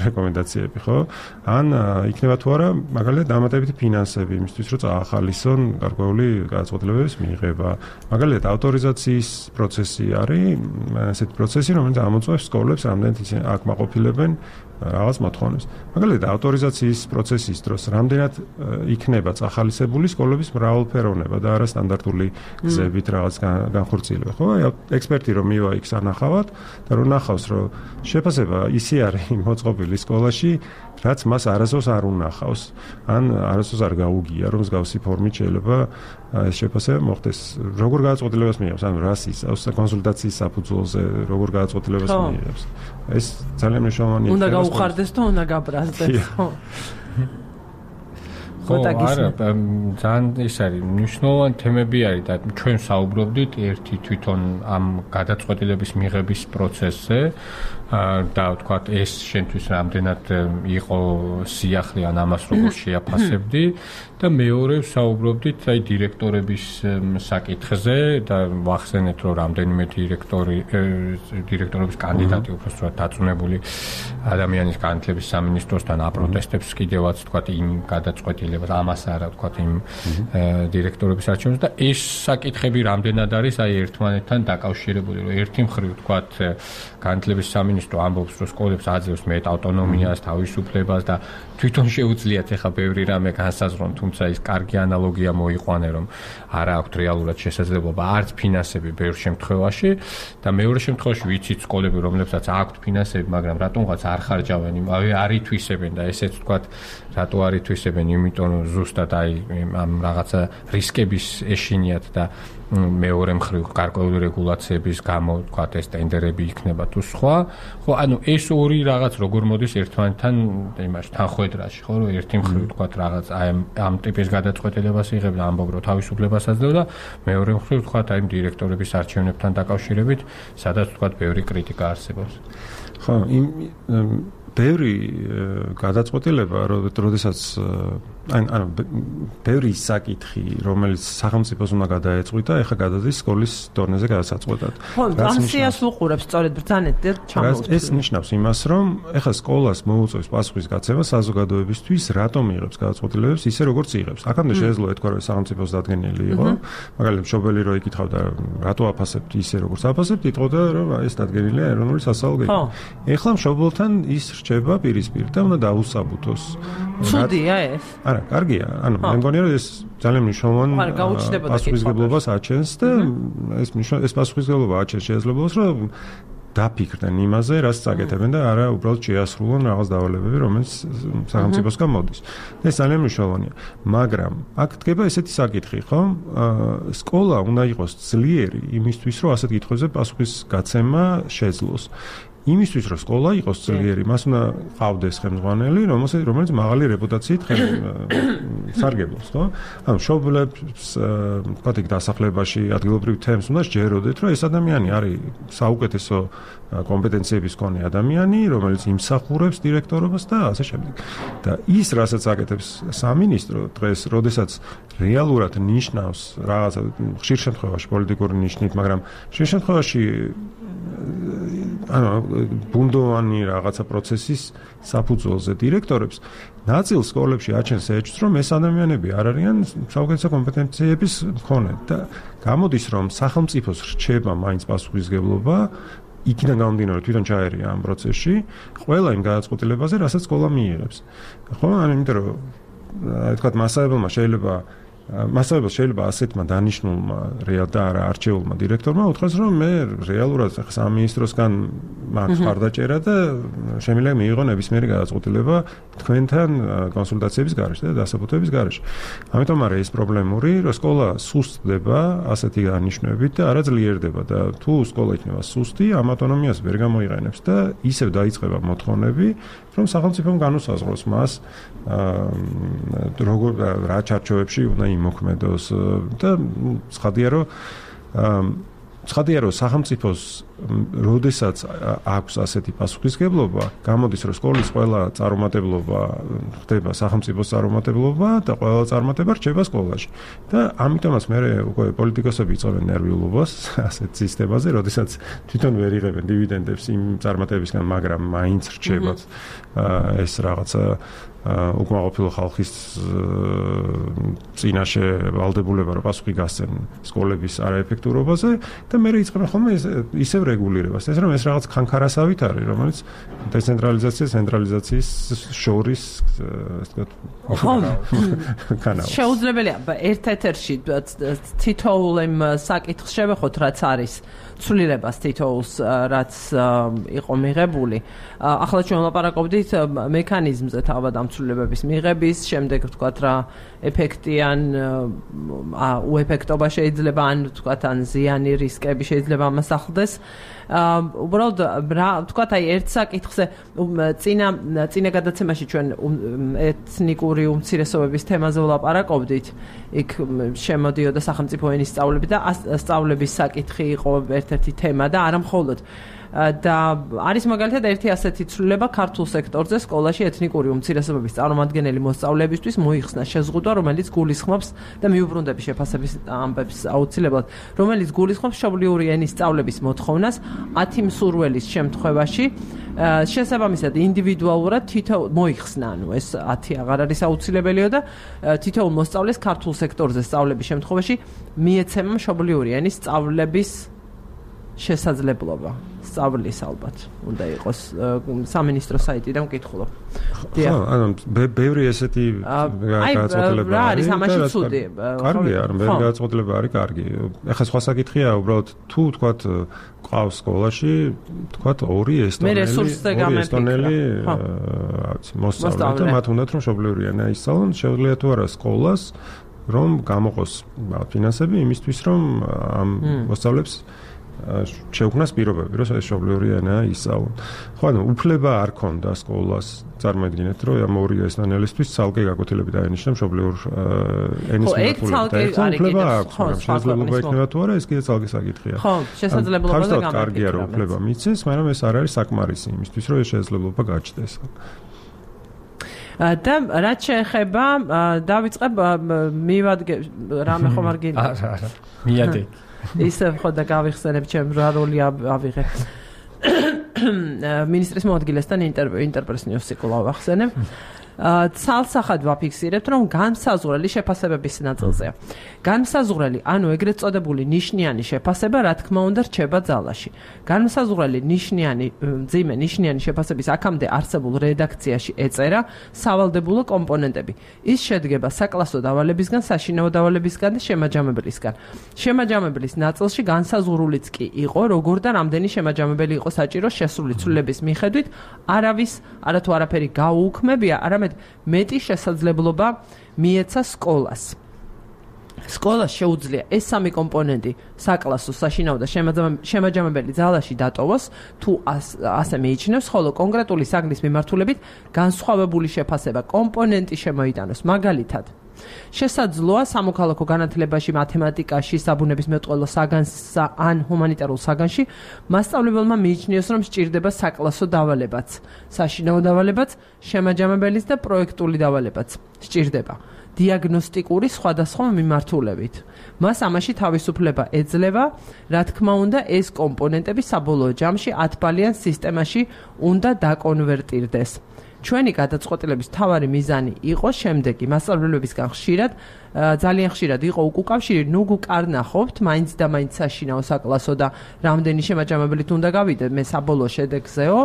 რეკომენდაციები, ხო? ან იქნება თუ არა მაგალითად დამატებითი ფინანსები იმისთვის, რომ წაახალისონ გარკვეული გადაწყვეტილებების მიღება. მაგალითად ავტორიზაციის პროცესი არის ასეთი პროცესი, რომელიც ამოწმებს სკოლებს რამდენად ისინი აკმაყოფილებენ რაღაც მოთხოვნებს. მაგალითად ავტორიზაციის პროცესის დროს რამდენად იქნება წახალისებული სკოლების მრავალფეროვნება და არა სტანდარტული გზებით რაღაც განხორციელება. ხო, აი ექსპერტი რომ მივა იქ სან ნახავად და რომ ნახავს რომ შეფასება ისე არის მოწყობილი სკოლაში რაც მას არასდროს არ უნახავს ან არასდროს არ გაუგია რომ მსგავსი ფორმით შეიძლება ეს შეფასება მოხდეს როგორ გადაწყვეტილებას მიიღებს ანუ რას იცავს კონსულტაციის საფუძველზე როგორ გადაწყვეტილებას მიიღებს ეს ძალიან მნიშვნელოვანია უნდა გაუხარდეს და უნდა გაბრაზდეს ხო ხო არა ძალიან ის არის მნიშვნელოვანი თემები არის და ჩვენ საუბრობდით ერთი თვითონ ამ გადაწყვეტილების მიღების პროცესზე და ვთქვათ ეს შენთვის რამდენად იყო სიახლე ან ამას როგორ შეაფასებდი და მეორე საუბრობდით აი დირექტორების საკითხზე და ვახსენეთ რომ რამდენიმე დირექტორი დირექტორების კანდიდატი უბრალოდ დაწუნებული ადამიანის განათლების სამინისტროსთან აპროტესტებს კიდევაც ვთქვათ იმ გადაწყვეტილებას ამას არა ვთქვათ იმ დირექტორების არჩევანს და ეს საკითხები რამდენად არის აი ერთმანეთთან დაკავშირებული რომ ერთი მხრივ ვთქვათ განათლების სამინისტრო ამბობს რომ სკოლებს აძლევს მეტ ავტონომიას, თავისუფლებას და თვითონ შეუძლიათ ახლა ბევრი რამე განსაზღვრონ, თუმცა ის კარგი ანალოგია მოიყვანე რომ არა აქვთ რეალურად შესაძლებლობა არც ფინანსები ბევრ შემთხვევაში და მეორე შემთხვევაში ვიცით სკოლები რომლებსაც აქვთ ფინანსები, მაგრამ რატომღაც არ ხარჯავენ, არ ითვისებენ და ესეც ვთქვათ რატო არ ითვისებენ, იმიტომ რომ ზუსტად აი ამ რაღაცა რისკების ეშინიათ და მეორე მხრივ გარკვეული რეგულაციების გამო ვთქვათ ეს ტენდერები იქნება თუ სხვა ხო ანუ ეს ორი რაღაც როგორ მოდის ერთმანეთთან იმაში თანხვედრაში ხო რომ ერთი მხრივ ვთქვათ რაღაც აი ამ ტიპის გადაწყვეტილებას იღებ და ამბობ რომ თავისუფლებას აძლევ და მეორე მხრივ ვთქვათ აი დირექტორების არჩევნებთან დაკავშირებით სადაც ვთქვათ ბევრი კრიტიკა არსებობს ხო იმ ბევრი გადაწყვეტილება როდესაც ან ანუ ბევრი საკითხი რომელიც სახელმწიფოს უნდა გადაეწყვიტა ეხლა გადადის სკოლის დონეზე გადასაწყვეტად ხო ასიას უყურებს სწორედ ბრძანეთ და ჩამოვწევთ ეს ნიშნავს იმას რომ ეხლა სკოლას მოუწევს პასუხისგაცემა საზოგადოებისთვის რატომ იღებს გადაწყვეტილებებს ისე როგორც იღებს აქამდე შეეძლო ეთქვა რომ სახელმწიფოს დადგენილი იყო მაგალითად მშობელი რო იკითხავდა რატო აფასებთ ისე როგორც აფასებთ იტყოდა რომ ეს დადგენილია ეროვნული სასწავლო გეგმით ეხლა მშობელთან ის რჩება პირისპირ და უნდა დაუსაბუთოს ცუდია ეს არა, კარგია. ანუ მე მგონია რომ ეს ძალიან მნიშვნელოვანი პასუხისმგებლობას აჩენს და ეს ეს პასუხისმგებლობა აჩენს შესაძლებლობას რომ დაფიქრდნენ იმაზე, რაც წაკეთებენ და არა უბრალოდ შეასრულონ რაღაც დავალებები, რომელიც სახელმწიფოსგან მოდის. ეს ძალიან მნიშვნელოვანია. მაგრამ აქ დგება ესეთი საკითხი, ხო? სკოლა უნდა იყოს ძლიერი იმისთვის, რომ ასეთ კითხვებზე პასუხისგაცემა შეძლოს. იმისთვის რომ სკოლა იყოს ძლიერი, მას უნდა ყავდეს ხელმძღვანელი, რომელიც მაღალი რეპუტაციით სარგებლობს, ხო? ანუ მშობლებს, ვთქვათ, იქ დასახლებაში ადგილობრივ თემს უნდა შეჯეროდეთ, რომ ეს ადამიანი არის საუკეთესო კომპეტენციების მქონე ადამიანი, რომელიც იმსახურებს დირექტორობას და ასე შემდეგ. და ის, რასაც აკეთებს სამინისტრო დღეს, როდესაც რეალურად ნიშნავს რაღაცა ხშირ შემთხვევაში პოლიტიკური ნიშნით, მაგრამ ხშირ შემთხვევაში ანუ ბუნდოვანი რაღაცა პროცესის საფუძველზე დირექტორებს ნაწილ სკოლებში აჩენს ეჭვს, რომ ეს ადამიანები არ არიან საუკეთესო კომპეტენციების მქონე და გამოდის, რომ სახელმწიფოს რჩება მაინც პასუხისმგებლობა იქიდან გამომდინარე თვითონ ჩაერია ამ პროცესში ყველა იმ გადაწყვეტილებაზე, რასაც სკოლა მიიღებს. ხო, ანუ იმიტომ რომ თქვათ მასწავლებელმა შეიძლება მასწავლებელს შეიძლება ასეთმა დანიშნულმა რეალ და არა არჩეულმა დირექტორმა უთხრას, რომ მე რეალურად სამინისტროსგან მაქვს მხარდაჭერა და შემიძლია მიიღო ნებისმიერი გადაწყვეტილება თქვენთან კონსულტაციების გარეშე და დასაბუთების გარეშე. ამიტომ არის ეს პრობლემური, რომ სკოლა სუსტდება ასეთი დანიშნულებით და არა ძლიერდება და თუ სკოლა იქნება სუსტი, ამ ავტონომიას ვერ გამოიყენებს და ისევ დაიწყება მოთხოვნები, რომ სახელმწიფომ განუსაზღვროს მას როგორ რა ჩარჩოებში უნდა იმოქმედოს და ცხადია რომ ცხადია რომ სახელმწიფოს როდესაც აქვს ასეთი პასუხისმგებლობა, გამოდის რომ სკოლის ყველა წარუმატებლობა ხდება სახელმწიფოს წარუმატებლობა და ყველა წარმატება რჩება სკოლაში. და ამიტომაც მე უკვე პოლიტიკოსები იწვევენ ნერვიულობას ასეთ სისტემაზე, როდესაც თვითონ ვერ იღებენ დივიდენდებს იმ წარმატებებისგან, მაგრამ მაინც რჩებათ ეს რაღაცა უკმაყოფილო ხალხის წინაშე ვალდებულება რომ პასუხი გასცენ სკოლების არაეფექტურობაზე და მე იწყება ხოლმე ისევ რეგულირებას. ეს რომ ეს რაღაც ხანქარასავით არის, რომელიც დეცენტრალიზაცია, ცენტრალიზაციის შორის ასე ვთქვათ, შეუძლებელია ერთ-ერთში თითოეულ იმ საკითხს შევეხოთ, რაც არის ცვლილებას თითოეულს, რაც იყო მიღებული. ახლა ჩვენ ვლაპარაკობდით მექანიზმზე თავად ამ ცვლილებების მიღების, შემდეგ ვთქვათ რა ეფექტიან უეფექტობა შეიძლება, ან ვთქვათ ან ზიანი რისკები შეიძლება ამას ახლდეს. უბრალოდ რა ვთქვათ, აი ერთ საკითხზე წინა წინა გადაცემაში ჩვენ ეთნიკური უმცირესობების თემაზე ვლაპარაკობდით. იქ შემოდიოდა სახელმწიფო ენის სწავლები და სწავლების საკითხი იყო ერთ-ერთი თემა და არა მხოლოდ. და არის მაგალითად ერთი ასეთი ცვლილება ქართულ სექტორზე სკოლაში ეთნიკური უმცირესობების წარმომადგენელი მოსწავლეებისთვის მოიხსნა შეზღუდვა, რომელიც გულისხმობს და მიუბრუნდები შეფასების ამბებს აუცილებლად, რომელიც გულისხმობს მშობლიური ენის სწავლების მოთხოვნას ათი მსურველის შემთხვევაში შესაბამისად ინდივიდუალურად თითოეულ მოიხსნა, ანუ ეს ათი აღარ არის აუცილებელიო და თითოეულ მოსწავლეს ქართულ სექტორზე სწავლების შემთხვევაში მიეცემა მშობლიური ენის სწავლების შესაძლებლობა. სწავლის ალბათ უნდა იყოს სამინისტრო საიტიდან ვკითხულობ. ხო, ანუ ბევრი ესეთი გადაწყვეტილება არის. რა არის ამაში ცუდი? კარგია, ანუ ბევრი გადაწყვეტილება არის კარგი. ეხლა სხვა საკითხია, უბრალოდ თუ თქვათ ყავს სკოლაში, თქვათ ორი ესტონელი, ორი ესტონელი მოსწავლე და მათ უნდათ რომ მშობლიური ენა ისწავლონ, შეუძლია თუ არა სკოლას რომ გამოყოს ფინანსები იმისთვის რომ ამ მოსწავლებს შეუქმნას პირობები, რომ ეს მშობლიური ენა ისწავლონ. ხო, ანუ უფლება არ ქონდა სკოლას, წარმოიდგინეთ, რომ ამ ორი ესტონელისთვის ცალკე გაკვეთილები დაენიშნა მშობლიურ ენის მიმართულებით. უფლება აქვს, მაგრამ შესაძლებლობა იქნება თუ არა, ეს კიდე ცალკე საკითხია. ხო, შესაძლებლობა და გამარჯვება. კარგია რომ უფლება მიცეს, მაგრამ ეს არ არის საკმარისი იმისთვის, რომ ეს შესაძლებლობა გაჩნდეს. და რაც შეეხება დავიწყებ მივადგე რამე ხომ არ გინდა. არა, არა. მიადე. ისე ხო და გავიხსენებ ჩემ რა როლი ავიღე. მინისტრის მოადგილესთან ინტერვიუ ინტერპრეს ნიუსი კვლავ ახსენებ. ცალსახად ვაფიქსირებთ, რომ განმსაზღვრელი შეფასებების ნაწილზეა. განმსაზღვრელი, ანუ ეგრეთ წოდებული ნიშნიანი შეფასება, რა თქმა უნდა, რჩება ძალაში. განმსაზღვრელი ნიშნიანი, მძიმე ნიშნიანი შეფასების აქამდე არსებულ რედაქციაში ეწერა სავალდებულო კომპონენტები. ის შედგება საკლასო დავალებისგან, საშინაო დავალებისგან და შემაჯამებლისგან. შემაჯამებლის ნაწილში განსაზღვრულიც კი იყო, როგორ და რამდენი შემაჯამებელი იყო საჭირო შესული ცვლილების მიხედვით, არავის არათუ არაფერი გაუუქმებია, არამედ მეტი შესაძლებლობა მიეცა სკოლას. სკოლას შეუძლია ეს სამი კომპონენტი საკლასო, საშინაო და შემაჯამებელი ძალაში დატოვოს, თუ ასე მიიჩნევს, ხოლო კონკრეტული საგნის მიმართულებით განსხვავებული შეფასება კომპონენტი შემოიტანოს. მაგალითად, შესაძლოა სამოქალაქო განათლებაში, მათემატიკაში, საბუნებისმეტყველო საგანსა ან ჰუმანიტარულ საგანში მასწავლებელმა მიიჩნიოს, რომ სჭირდება საკლასო დავალებაც, საშინაო დავალებაც, შემაჯამებელის და პროექტული დავალებაც სჭირდება დიაგნოსტიკური სხვადასხვა მიმართულებით. მას ამაში თავისუფლება ეძლევა, რა თქმა უნდა, ეს კომპონენტები საბოლოო ჯამში ათბალიან სისტემაში უნდა დაკონვერტირდეს. ჩვენი გადაწყვეტილების მთავარი მიზანი იყო შემდეგი: მასწავლებლებისგან ხშირად, ძალიან ხშირად იყო უკავშირი, ნუ გუკარნახობთ, მაინც და მაინც საშინაო საკლასო და რამდენი შემაჯამებლით უნდა გავიდეთ, მე საბოლოო შედეგზეო,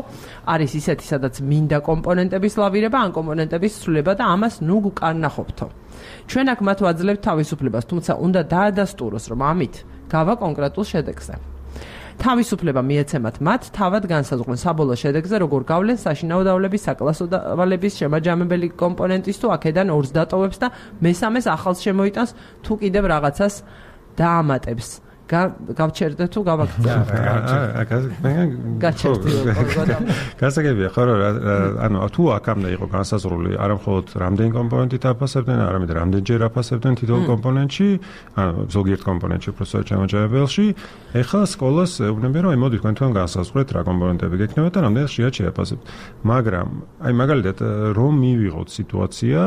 არის ისეთი, სადაც მინდა კომპონენტების ლავირება, ან კომპონენტების ცვლილება და ამას ნუ გუკარნახობთო. ჩვენ აქ მათ ვაძლევთ თავისუფლებას, თუმცა უნდა დაადასტუროს, რომ ამით გავა კონკრეტულ შედეგზე. თავისუფლება მიეცემათ მათ თავად განსაზღვრონ საბოლოო შედეგზე, როგორ გავლენ საშინაო დავალების, საკლასო დავალების, შემაჯამებელი კომპონენტის თუ აქედან ორს დატოვებს და მესამეს ახალს შემოიტანს, თუ კიდევ რაღაცას დაამატებს. გავჩერდე თუ გავაკეთე? გასაგებია ხო, ანუ თუ აქამდე იყო განსაზღვრული არა მხოლოდ რამდენი კომპონენტით აფასებდნენ, არამედ რამდენჯერ აფასებდნენ თითოეულ კომპონენტში, ანუ ზოგიერთ კომპონენტში უბრალოდ შემაჯამებელში, ეხლა სკოლას ეუბნებიან, რომ მოდი თქვენ თქვენ განსაზღვრეთ რა კომპონენტები გექნება და რამდენი ხშირად შეაფასებთ. მაგრამ აი მაგალითად რომ მივიღოთ სიტუაცია,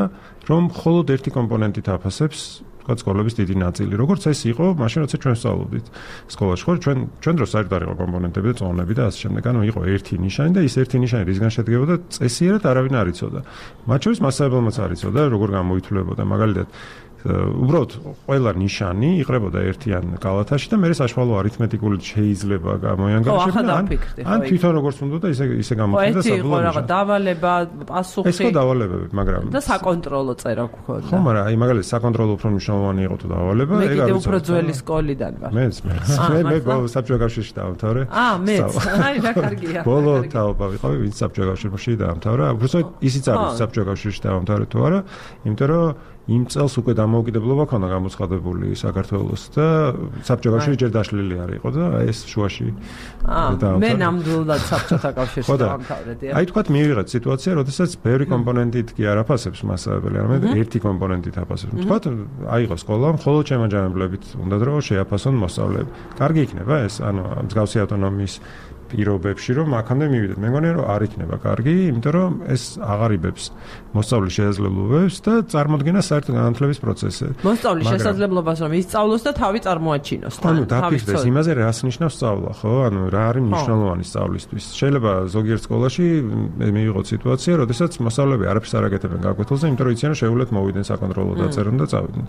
რომ მხოლოდ ერთი კომპონენტით აფასებს თქვა სკოლების დიდი ნაწილი. როგორც ეს იყო, მაშინ როცა ჩვენ ვსწავლობდით სკოლაში, ხო, ჩვენ ჩვენ დროს საერთოდ არ იყო კომპონენტები და წონები და ასე შემდეგ. ანუ იყო ერთი ნიშანი და ის ერთი ნიშანი რისგან შედგებოდა, წესიერად არავინ არ იცოდა. მათ შორის მასწავლებელმაც არ იცოდა, როგორ გამოითვლებოდა. მაგალითად, უბრალოდ ყველა ნიშანი იყრებოდა ერთიან კალათაში და მე საშუალო არითმეტიკული შეიძლება გამოიანგარიშებინა ან ან თვითონ როგორც უნდა და ისე ისე გამოხდა და საბოლოო იყო რაღაც დავალება, პასუხი. ეს ხო დავალებები, მაგრამ და საკონტროლო წერა გქონდა. ხო, მაგრამ აი მაგალითად საკონტროლო უფრო მნიშვნელოვანი იყო თუ დავალება, ეგ არის უფრო ძველი სკოლიდან ვარ. მეც მე. მე მე საბჭოთა კავშირში დავამთავრე. აა, მეც. აი რა კარგია. ბოლო თაობა ვიყავი, ვინც საბჭოთა კავშირში დაამთავრა. უბრალოდ ისიც არის საბჭოთა კავშირში დაამთავრე თუ არა, იმიტომ რომ იმ წელს უკვე დამოუკიდებლობა ქონდა გამოცხადებული საქართველოს და საბჭოთა კავშირი ჯერ დაშლილი არ იყო და ეს შუაში აა მე ნამდვილად საბჭოთა კავშირში დავამთავრე. აი თქვათ მივიღეთ სიტუაცია, როდესაც ბევრი კომპონენტით კი არ აფასებს მასწავლებელი, არამედ ერთი კომპონენტით აფასებს. თქვათ აიღო სკოლა, მხოლოდ შემაჯამებლებით უნდა რომ შეაფასონ მოსწავლეები. კარგი იქნება ეს, ანუ მსგავსი ავტონომიის პირობებში რომ აქამდე მივიდეთ. მე მგონია რომ არ იქნება კარგი, იმიტომ რომ ეს აღარიბებს მოსწავლის შესაძლებლობებს და წარმოადგენს საერთო განათლების პროცესზე. მოსწავლის შესაძლებლობას რომ ისწავლოს და თავი წარმოაჩინოს. ანუ დაფიქრდეს იმაზე რას ნიშნავს სწავლა, ხო? ანუ რა არის მნიშვნელოვანი სწავლისთვის. შეიძლება ზოგიერთ სკოლაში მივიღოთ სიტუაცია, როდესაც მოსწავლეები არაფერს არ აკეთებენ გაკვეთილზე, იმიტომ რომ იციან რომ შეუძლეთ მოვიდნენ საკონტროლო დაწერონ და წავიდნენ.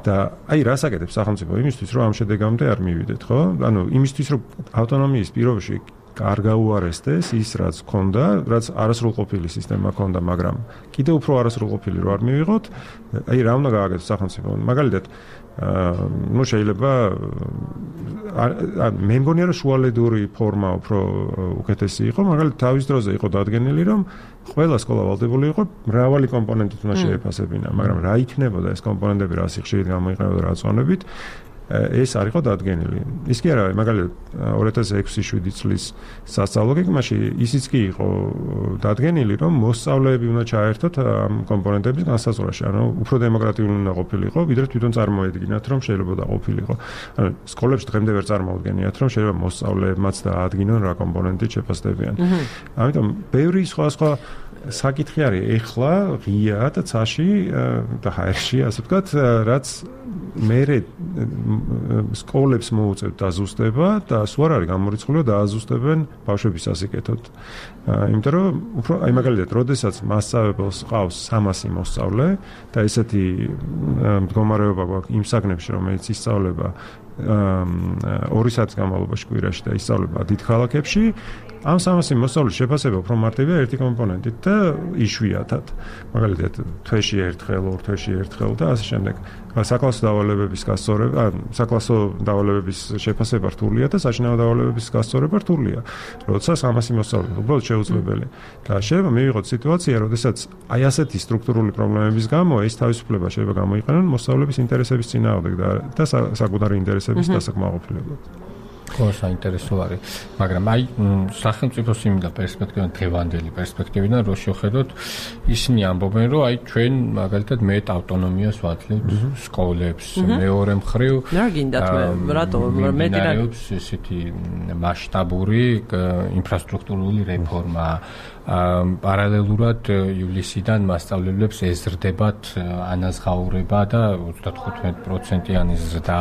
და აი რას აკეთებს სახელმწიფო იმისთვის, რომ ამ შედეგამდე არ მივიდეთ, ხო? ანუ იმისთვის, რომ ავტონომიის პირობებში არ გაუარესდეს ის რაც ქონდა, რაც არასრულყოფილი სისტემა ქონდა, მაგრამ კიდევ უფრო არასრულყოფილი რო არ მივიღოთ, აი რა უნდა გააკეთოს სახელმწიფო. მაგალითად, ну შეიძლება მე მგონია რომ შუალედური ფორმა უფრო უკეთესი იყო, მაგალითად თავის დროზე იყო დადგენილი, რომ ყველა სკოლა ვალდებული იყო მრავალი კომპონენტით უნდა შეეფასებინა, მაგრამ რა იქნებოდა ეს კომპონენტები, რა სიხშირით გამოიყენებოდა, რა წონებით ეს არ იყო დადგენილი. ის კი არა, მაგალითად ორი ათას ექვსი შვიდი წლის სასწავლო გეგმაში ისიც კი იყო დადგენილი, რომ მოსწავლეები უნდა ჩაერთოთ ამ კომპონენტების განსაზღვრაში. ანუ უფრო დემოკრატიული უნდა ყოფილიყო, ვიდრე თვითონ წარმოედგინათ, რომ შეიძლება დაყოფილიყო. ანუ სკოლებში დღემდე ვერ წარმოუდგენიათ, რომ შეიძლება მოსწავლეებმაც დაადგინონ რა კომპონენტით შეფასდებიან. ამიტომ ბევრი სხვა სხვა საკითხი არის ეხლა ღია და ცაში და ჰაერში, ასე ვთქვათ, რაც მერე სკოლებს მოუწევთ დაზუსტება და სულ არ არის გამორიცხული და დააზუსტებენ ბავშვების სასიკეთოდ. იმიტომ რომ უფრო აი მაგალითად, როდესაც მასწავლებელს ყავს სამასი მოსწავლე და ესეთი მდგომარეობა გვაქვს იმ საგნებში, რომელიც ისწავლება ორი საათის განმავლობაში კვირაში და ისწავლება დიდ ქალაქებში, ამ სამასი მოსწავლის შეფასება უფრო მარტივია ერთი კომპონენტით და იშვიათად. მაგალითად, თვეში ერთხელ, ორ თვეში ერთხელ და ასე შემდეგ. საკლასო დავალებების გასწორება, ან საკლასო დავალებების შეფასება რთულია და საშინაო დავალებების გასწორება რთულია. როცა სამასი მოსწავლე უბრალოდ შეუძლებელი. და შეიძლება მივიღოთ სიტუაცია, როდესაც აი ასეთი სტრუქტურული პრობლემების გამო ეს თავისუფლება შეიძლება გამოიყენონ მოსწავლების ინტერესების წინააღმდეგ და საკუთარი ინტერესების დასაკმაყოფილებლად. ხო, საინტერესო არის, მაგრამ აი სახელმწიფოს იმდა პერსპექტივიდან, დღევანდელი პერსპექტივიდან რო შევხედოთ, ისინი ამბობენ, რომ აი ჩვენ მაგალითად მეტ ავტონომიას ვაძლევთ სკოლებს, მეორე მხრივ რა გინდათ მე რატო მეტი რა ესეთი მასშტაბური ინფრასტრუქტურული რეფორმა პარალელურად ივლისიდან მასწავლებლებს ეზრდებათ ანაზღაურება და ოცდათხუთმეტი პროცენტიანი ზრდა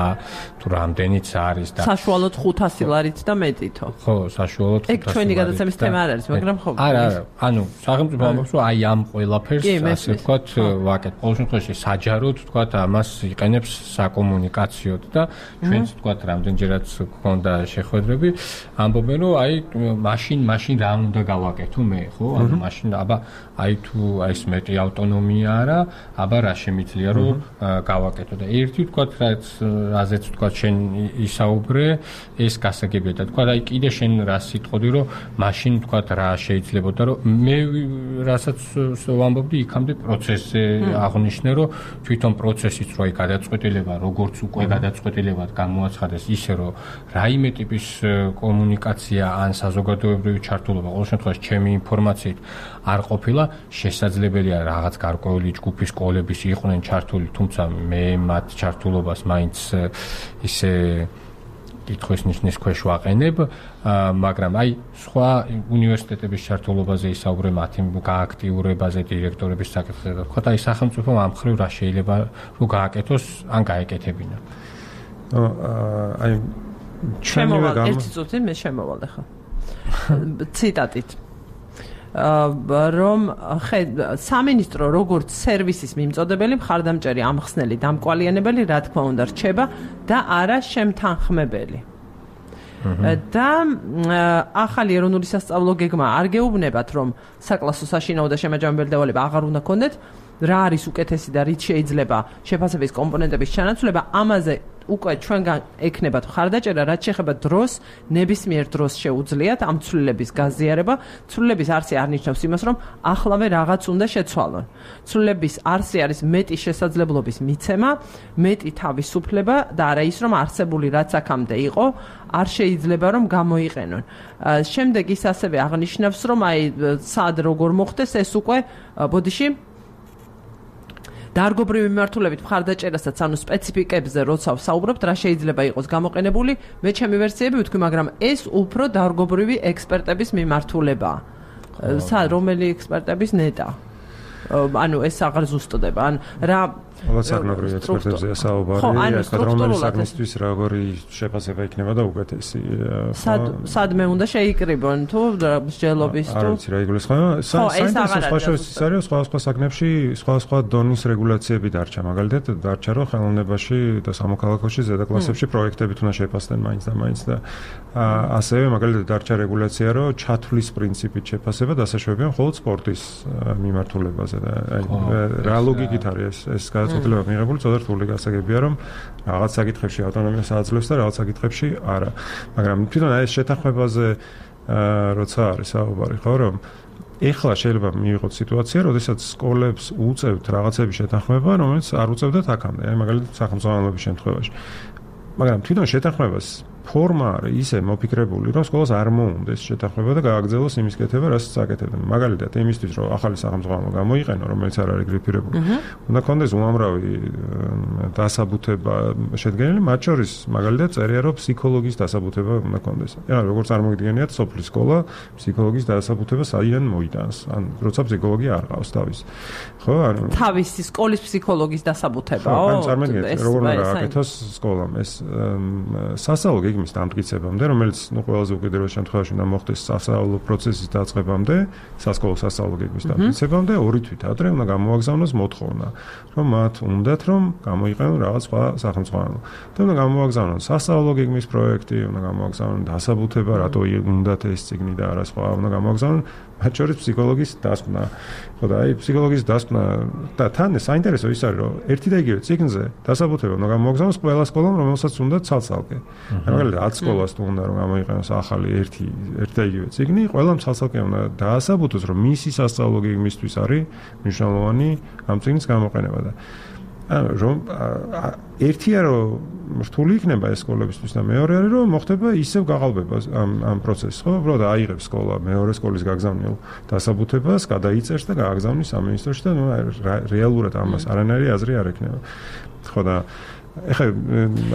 თუ რამდენიც არის და საშუალოდ ხუთასი ლარით და მეტითო. ხო, საშუალოდ ხუთასი. ეგ ჩვენი გადაცემის თემა არ არის, მაგრამ ხო. არა, არა, ანუ სახელმწიფო ამბობს, რომ აი ამ ყველაფერს ასე ვთქვათ, ვაკეთებ. ყოველ შემთხვევაში საჯაროდ ვთქვათ, ამას იყენებს საკომუნიკაციოდ და ჩვენც ვთქვათ, რამდენჯერაც გქონდა შეხვედრები, ამბობენ, რომ აი მაშინ მაშინ რა უნდა გავაკეთო მე ხო, ანუ მაშინ აბა აი თუ აი ეს მეტი ავტონომია არა, აბა რა შემიძლია რომ გავაკეთო და ერთი ვთქვათ, რაც რაზეც ვთქვათ შენ ისაუბრე, ეს გასაგებია და თქვა აი კიდე შენ რა სიტყოდი რომ მაშინ თქვა რა შეიძლებოდა რომ მე რასაც ვამბობდი იქამდე პროცესზე აღნიშნე რომ თვითონ პროცესიც რო აი გადაწყვეტილება როგორც უკვე გადაწყვეტილებად გამოაცხადეს ისე რომ რაიმე ტიპის კომუნიკაცია ან საზოგადოებრივი ჩართულობა ყოველ შემთხვევაში ჩემი ინფორმაციით არ ყოფილა შესაძლებელია რაღაც გარკვეული ჯგუფის სკოლების იყვნენ ჩართული თუმცა მე მათ ჩართულობას მაინც ისე კითხვის ნიშნის ქვეშ ვაყენებ, მაგრამ აი სხვა უნივერსიტეტების ჩართულობაზე ისაუბრე მათი გააქტიურებაზე დირექტორების საკითხზე და თქვა აი სახელმწიფომ ამ მხრივ რა შეიძლება რომ გააკეთოს ან გაეკეთებინა. აი შემოვალ ერთი წუთი მე შემოვალ ახლა. ციტატით რომ სამინისტრო როგორც სერვისის მიმწოდებელი მხარდამჭერი ამხსნელი დამკვალიანებელი რა თქმა უნდა რჩება და არა შემთანხმებელი. და ახალი ეროვნული სასწავლო გეგმა არ გეუბნებათ რომ საკლასო საშინაო და შემაჯამებელი დავალება აღარ უნდა კონდეთ რა არის უკეთესი და რით შეიძლება შეფასების კომპონენტების ჩანაცვლება ამაზე უკვე ჩვენგან ექნებათ ხარდაჭერა რაც შეეხება დროს ნებისმიერ დროს შეუძლიათ ამ ცვლილების გაზიარება ცვლილების არსი არ ნიშნავს იმას რომ ახლავე რაღაც უნდა შეცვალონ ცვლილების არსი არის მეტი შესაძლებლობის მიცემა მეტი თავისუფლება და არა ის რომ არსებული რაც აქამდე იყო არ შეიძლება რომ გამოიყენონ შემდეგ ის ასევე აღნიშნავს რომ აი სად როგორ მოხდეს ეს უკვე ბოდიში დარგობრივი მიმართულებით მხარდაჭერასაც ანუ სპეციფიკებზე როცა ვსაუბრობთ რა შეიძლება იყოს გამოყენებული მე ჩემი ვერსიები ვთქვი მაგრამ ეს უფრო დარგობრივი ექსპერტების მიმართულებაა სა რომელი ექსპერტების ნეტა ანუ ეს აღარ ზუსტდება ან რა საგნებრივი ექსპერტებზე საუბარი ეს რომელი საგნისთვის როგორი შეფასება იქნება და უკეთესი სად სად მე უნდა შეიკრიბონ თუ მსჯელობის თუ არ ვიცი რა იგულისხმება საინტერესო სხვა შორის ის არის სხვა სხვა საგნებში სხვა სხვა დონის რეგულაციები დარჩა მაგალითად დარჩა რომ ხელოვნებაში და სამოქალაქოში ზედა კლასებში პროექტებით უნდა შეფასდნენ მაინც და მაინც და ასევე მაგალითად დარჩა რეგულაცია რომ ჩათვლის პრინციპით შეფასება დასაშვებია მხოლოდ სპორტის მიმართულებაზე და რა ლოგიკით არის ეს გადაწყვეტილება მიღებული ცოტა რთული გასაგებია რომ რაღაც საკითხებში ავტონომიას აძლევს და რაღაც საკითხებში არა მაგრამ თვითონ ეს შეთანხმებაზე როცა არის საუბარი ხო რომ ეხლა შეიძლება მივიღოთ სიტუაცია როდესაც სკოლებს უწევთ რაღაცების შეთანხმება რომელიც არ უწევდათ აქამდე აი მაგალითად სახელმწიფოების შემთხვევაში მაგრამ თვითონ შეთანხმებას ფორმა არის ისე მოფიქრებული, რომ სკოლას არ მოუნდეს შეთანხმება და გააგრძელოს იმის კეთება, რაც აკეთებდნენ. მაგალითად, იმისთვის, რომ ახალი სახელმწიფო გამოიყენო, რომელიც არ არის გრიფირებული, უნდა კონდეს უამრავი დასაბუთება შედგენილი, მათ შორის მაგალითად წერია, რომ ფსიქოლოგის დასაბუთება უნდა კონდეს. ანუ როგორც წარმოგიდგენიათ, სოფლის სკოლა ფსიქოლოგის დასაბუთება საიდან მოიტანს? ან როცა ფსიქოლოგი არ ყავს თავის. ხო, ანუ თავისი სკოლის ფსიქოლოგის დასაბუთებაო? ან წარმოგიდგენთ, როგორ უნდა აკეთოს სკოლამ ეს სასწავლო გეგმის დამტკიცებამდე, რომელიც ნუ ყველაზე უკიდურეს შემთხვევაში უნდა მოხდეს სასწავლო პროცესის დაწყებამდე, სასკოლო სასწავლო გეგმის დამტკიცებამდე, ორი თვით ადრე უნდა გამოვაგზავნოს მოთხოვნა, რომ მათ უნდათ რომ გამოიყენონ რაღაც სხვა სახელმწიფო. და უნდა გამოვაგზავნონ სასწავლო გეგმის პროექტი, უნდა გამოვაგზავნონ დასაბუთება, რატო უნდათ ეს წიგნი და არა სხვა, უნდა გამოვაგზავნონ მათ შორის ფსიქოლოგის დასკვნა. ხო და აი ფსიქოლოგის დასკვნა და თან საინტერესო ის არის, რომ ერთი და იგივე წიგნზე დასაბუთება უნდა გამოვაგზავნოს ყველა სკოლამ, რომელსაც უნდა ცალ-ცალკე. მაგალითად, ათ სკოლას თუ უნდა რომ გამოიყენოს ახალი ერთი ერთი და იგივე წიგნი, ყველამ ცალ-ცალკე უნდა დაასაბუთოს, რომ მისი სასწავლო გეგმისთვის არის მნიშვნელოვანი ამ წიგნის გამოყენება და ანუ რომ ერთია რომ რთული იქნება ეს სკოლებისთვის და მეორე არის რომ მოხდება ისევ გაყალბება ამ ამ პროცესს, ხო? უბრალოდ აიღებს სკოლა მეორე სკოლის გაგზავნილ დასაბუთებას, გადაიწერს და გააგზავნის სამინისტროში და ნუ რეალურად ამას არანაირი აზრი არ ექნება. ხო და ეხლა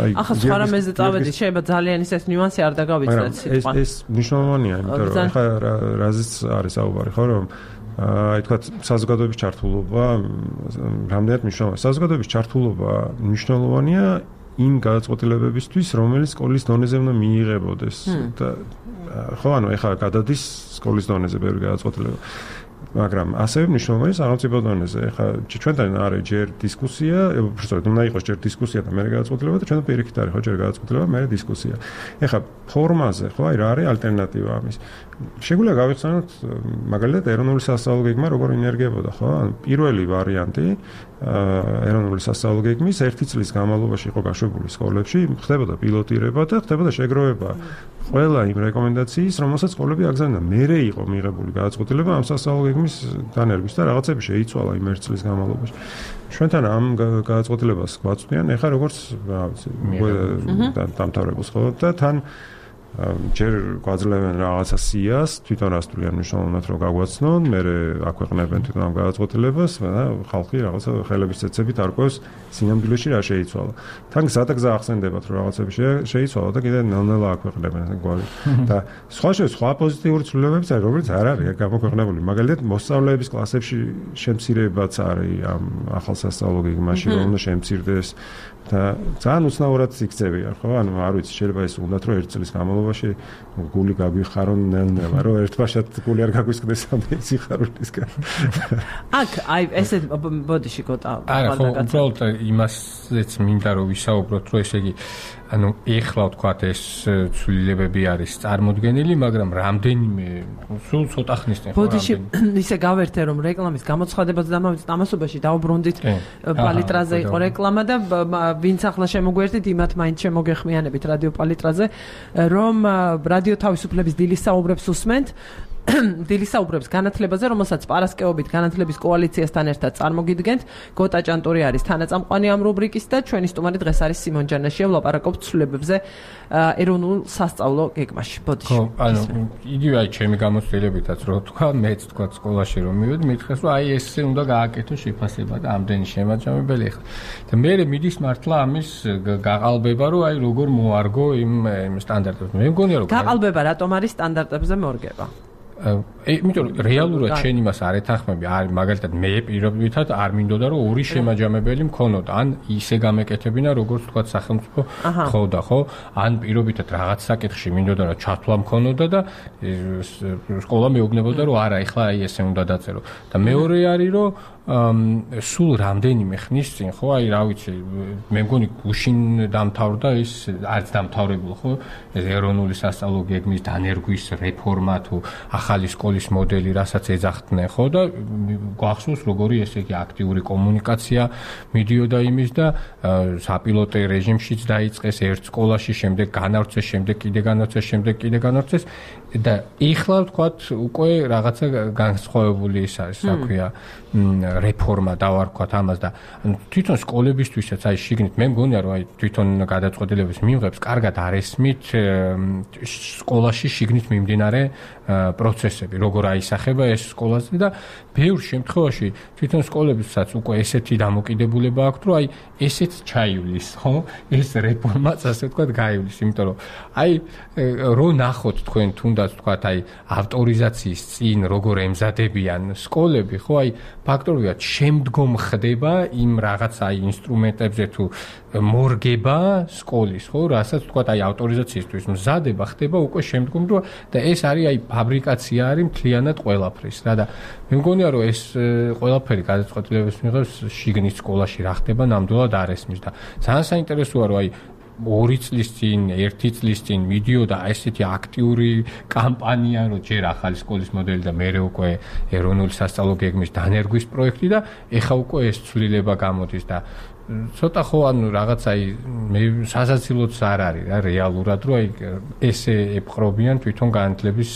აი ახლა სხვა რამეზე წავედი, შეიძლება ძალიან ის ეს ნიუანსი არ დაგავიწყდეთ სიტყვა. ეს ეს მნიშვნელოვანია, იმიტომ რომ ეხლა რაზეც არის საუბარი, ხო რომ აი თქვა საზოგადოების ჩართულობა რამდენად მნიშვნელოვანია. საზოგადოების ჩართულობა მნიშვნელოვანია იმ გადაწყვეტილებებისთვის, რომელიც სკოლის დონეზე უნდა მიიღებოდეს და ხო ანუ ეხლა გადადის სკოლის დონეზე ბევრი გადაწყვეტილება. მაგრამ ასევე მნიშვნელოვანია სახელმწიფო დონეზე. ეხლა ჩვენთან არის ჯერ დისკუსია, უბრალოდ უნდა იყოს ჯერ დისკუსია და მერე გადაწყვეტილება და ჩვენ პირიქით არის ხო ჯერ გადაწყვეტილება, მერე დისკუსია. ეხლა ფორმაზე ხო აი რა არის ალტერნატივა ამის? შეგვიძლია გავიხსენოთ მაგალითად ეროვნული სასწავლო გეგმა როგორ ინერგებოდა, ხო? ანუ პირველი ვარიანტი ეროვნული სასწავლო გეგმის ერთი წლის განმავლობაში იყო გაშვებული სკოლებში, ხდებოდა პილოტირება და ხდებოდა შეგროვება ყველა იმ რეკომენდაციის, რომელსაც სკოლები აგზავნა. მერე იყო მიღებული გადაწყვეტილება ამ სასწავლო გეგმის დანერგვის და რაღაცები შეიცვალა იმ ერთ წლის განმავლობაში. ჩვენთან ამ გადაწყვეტილებას გვაწვდიან, ეხლა როგორც რა ვიცი, დამთავრებულს ხო და თან ჯერ გვაძლევენ რაღაცა სიას, თვითონ რასტულიან მნიშვნელოვნად რომ გაგვაცნონ, მერე აქვეყნებენ თვითონ ამ გადაწყვეტილებას და ხალხი რაღაცა ხელების წეცებით არკვევს სინამდვილეში რა შეიცვალა. თან გზადაგზა ახსენდებათ რომ რაღაცები შეიცვალა და კიდე ნელ-ნელა აქვეყნებენ გვარი. და სხვა შე სხვა პოზიტიური ცვლილებებიც არის, რომელიც არ არის გამოქვეყნებული. მაგალითად, მოსწავლეების კლასებში შემცირებაც არის ამ ახალ სასწავლო გეგმაში, რომ უნდა შემცირდეს და ძალიან უცნაურად იქცევია, ხო? ანუ არ ვიცი, შეიძლება ეს უნდათ რომ ერთ წლის განმავლობაში მშობლობაში გული გაგვიხარონ ნელ-ნელა, რომ ერთბაშად გული არ გაგვისკდეს ამ სიხარულისგან. აქ აი ესე ბოდიში გოტა. არა, ხო, უბრალოდ იმასაც მინდა რომ ვისაუბროთ, რომ ესე იგი ანუ ეხლა ვთქვათ ეს ცვლილებები არის წარმოდგენილი, მაგრამ რამდენიმე სულ ცოტა ხნის წინ ხო ბოდიში ისე გავერთე რომ რეკლამის გამოცხადებაც დამასობაში დაუბრუნდით პალიტრაზე იყო რეკლამა და ვინც ახლა შემოგვერთით იმათ მაინც შემოგეხმიანებით რადიო პალიტრაზე რომ რადიო თავისუფლების დილის საუბრებს უსმენთ დილის საუბრებს განათლებაზე, რომელსაც პარასკევობით განათლების კოალიციასთან ერთად წარმოგიდგენთ. გოტა ჭანტური არის თანაწამყვანი ამ რუბრიკის და ჩვენი სტუმარი დღეს არის სიმონ ჯანაშია, ვლაპარაკობთ ცვლილებებზე ეროვნულ სასწავლო გეგმაში. ბოდიში. ხო, ანუ იგივე აი ჩემი გამოცდილებითაც რო თქვა, მეც თქვა სკოლაში რომ მივედი, მითხეს რომ აი ესე უნდა გააკეთო შეფასება და ამდენი შემაჯამებელი ხარ. და მე მიდის მართლა ამის გაყალბება, რომ აი როგორ მოარგო იმ სტანდარტებს. მე მგონია რომ გაყალბება რატომ არის სტანდარტებზე მორგება? იმიტომ რომ რეალურად შენ იმას არ ეთანხმები, არის მაგალითად მე პირობითად არ მინდოდა რომ ორი შემაჯამებელი მქონოდა, ან ისე გამეკეთებინა როგორც თქვა სახელმწიფო ხოდა, ხო? ან პირობითად რაღაც საკითხში მინდოდა რომ ჩათვლა მქონოდა და სკოლა მეუბნებოდა რომ არა, ეხლა აი ესე უნდა დაწერო. და მეორე არის რომ სულ რამდენიმე ხნის წინ, ხო, აი რა ვიცი, მე მგონი გუშინ დამთავრდა ის არც დამთავრებულ, ხო? ეს ეროვნული სასწავლო გეგმის დანერგვის რეფორმა თუ ახალი სკოლის მოდელი, რასაც ეძახდნენ, ხო და გვახსოვს როგორი ესე იგი აქტიური კომუნიკაცია მიდიოდა იმის და საპილოტე რეჟიმშიც დაიწყეს ერთ სკოლაში, შემდეგ განავრცეს, შემდეგ კიდე განავრცეს, შემდეგ კიდე განავრცეს და ეხლა ვთქვათ უკვე რაღაცა განსხვავებული ის არის, რა ქვია, რეფორმა დავარქვათ ამას და თვითონ სკოლებისთვისაც აი შიგნით მე მგონია რომ აი თვითონ გადაწყვეტილების მიღებს კარგად არ ესმით სკოლაში შიგნით მიმდინარე პროცესები, როგორ აისახება ეს სკოლაზე და ბევრ შემთხვევაში თვითონ სკოლებისაც უკვე ესეთი დამოკიდებულება აქვს, რომ აი ესეც ჩაივლის, ხო? ეს რეფორმაც ასე ვთქვათ გაივლის, იმიტომ რომ აი რო ნახოთ თქვენ თუნდაც ვთქვათ აი ავტორიზაციის წინ როგორ ემზადებიან სკოლები, ხო? აი ფაქტობრივად შემდგომ ხდება იმ რაღაც აი ინსტრუმენტებზე თუ მორგება სკოლის, ხო, რასაც თქვა აი ავტორიზაციისთვის მზადება ხდება უკვე შემდგომ და ეს არის აი ფაბრიკაცია არის მთლიანად ყველაფრის რა და მე მგონია რომ ეს ყველაფერი გადაწყვეტილების მიღებს შიგნით სკოლაში რა ხდება ნამდვილად არ ესმის და ძალიან საინტერესოა რომ აი ორი წლის წინ, ერთი წლის წინ მიდიოდა ესეთი აქტიური კამპანია, რომ ჯერ ახალი სკოლის მოდელი და მერე უკვე ეროვნული სასწავლო გეგმის დანერგვის პროექტი და ეხა უკვე ეს ცვლილება გამოდის და ცოტა ხო ანუ რაღაც აი მე სასაცილოც არ არის რა რეალურად რომ აი ესე ეპყრობიან თვითონ განათლების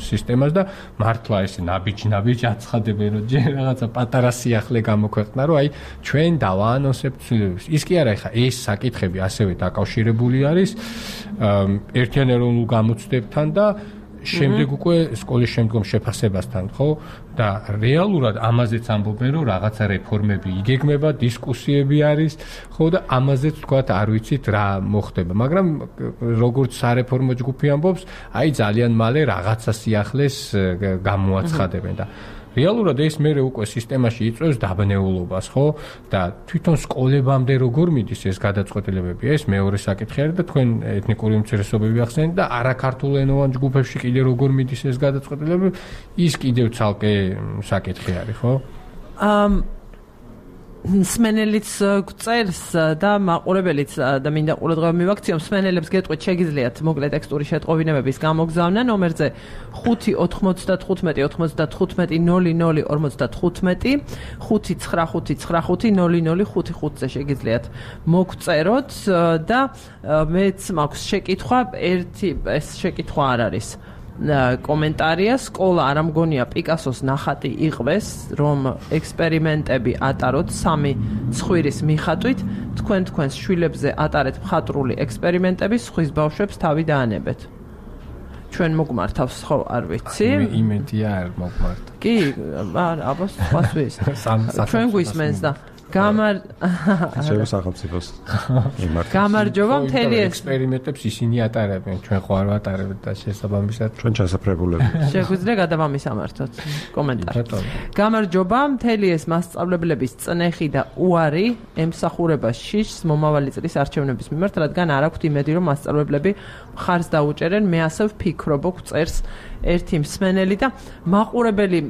სისტემას და მართლა ესე ნაბიჯ-ნაბიჯ აცხადებენ რომ ჯერ რაღაცა პატარა სიახლე გამოქვეყნა რომ აი ჩვენ დავაანონსებთ ცვლილებებს. ის კი არა ეხა ეს საკითხები ასევე დაკავშირებული არის ერთიან ეროვნულ გამოცდებთან და შემდეგ უკვე სკოლის შემდგომ შეფასებასთან, ხო? და რეალურად ამაზეც ამბობენ, რომ რაღაცა რეფორმები იგეგმება, დისკუსიები არის, ხო და ამაზეც თქვათ არ ვიცით რა მოხდება, მაგრამ როგორც სარეფორმო ჯგუფი ამბობს, აი ძალიან მალე რაღაცა სიახლეს გამოაცხადებენ და რეალურად ეს მერე უკვე სისტემაში იწვევს დაბნეულობას, ხო? და თვითონ სკოლებამდე როგორ მიდის ეს გადაწყვეტილებები, ეს მეორე საკითხი არის და თქვენ ეთნიკური უმცირესობები ახსენეთ და არაქართულენოვან ჯგუფებში კიდე როგორ მიდის ეს გადაწყვეტილებები, ის კიდევ ცალკე საკითხი არის, ხო? ამ სმენელიც გწერს და მაყურებელიც და მინდა ყურადღება მივაქციო სმენელებს გეტყვით შეგიძლიათ მოკლე ტექსტური შეტყობინებების გამოგზავნა ნომერზე ხუთი ოთხმოცდათხუთმეტი ოთხმოცდათხუთმეტი ნული ნული ორმოცდათხუთმეტი ხუთი ცხრა ხუთი ცხრა ხუთი ნული ნული ხუთი ხუთზე შეგიძლიათ მოგწეროთ და მეც მაქვს შეკითხვა ერთი ეს შეკითხვა არ არის კომენტარია სკოლა არ ამგონია პიკასოს ნახატი იყვეს რომ ექსპერიმენტები ატაროთ სამი ცხვირის მიხატვით თქვენ თქვენს შვილებზე ატარეთ მხატვრული ექსპერიმენტები სხვის ბავშვებს თავი დაანებეთ ჩვენ მოგმართავს ხო არ ვიცი იმედია არ მოგმართ კი არა აბა სხვას ვის ჩვენ გვისმენს და გამარ შეიძლება სახელმწიფოს იმართოს. გამარჯობა მთელი ეს ექსპერიმენტებს ისინი ატარებენ, ჩვენ ხო არ ვატარებთ და შესაბამისად ჩვენ ჩასაფრებულები. შეგვიძლია გადაბამის ამართოთ კომენტარი. გამარჯობა, მთელი ეს მასწავლებლების წნეხი და უარი ემსახურება შიშს მომავალი წლის არჩევნების მიმართ, რადგან არ აქვთ იმედი, რომ მასწავლებლები მხარს დაუჭერენ. მე ასე ვფიქრობ, წერს ერთი მსმენელი და მაყურებელი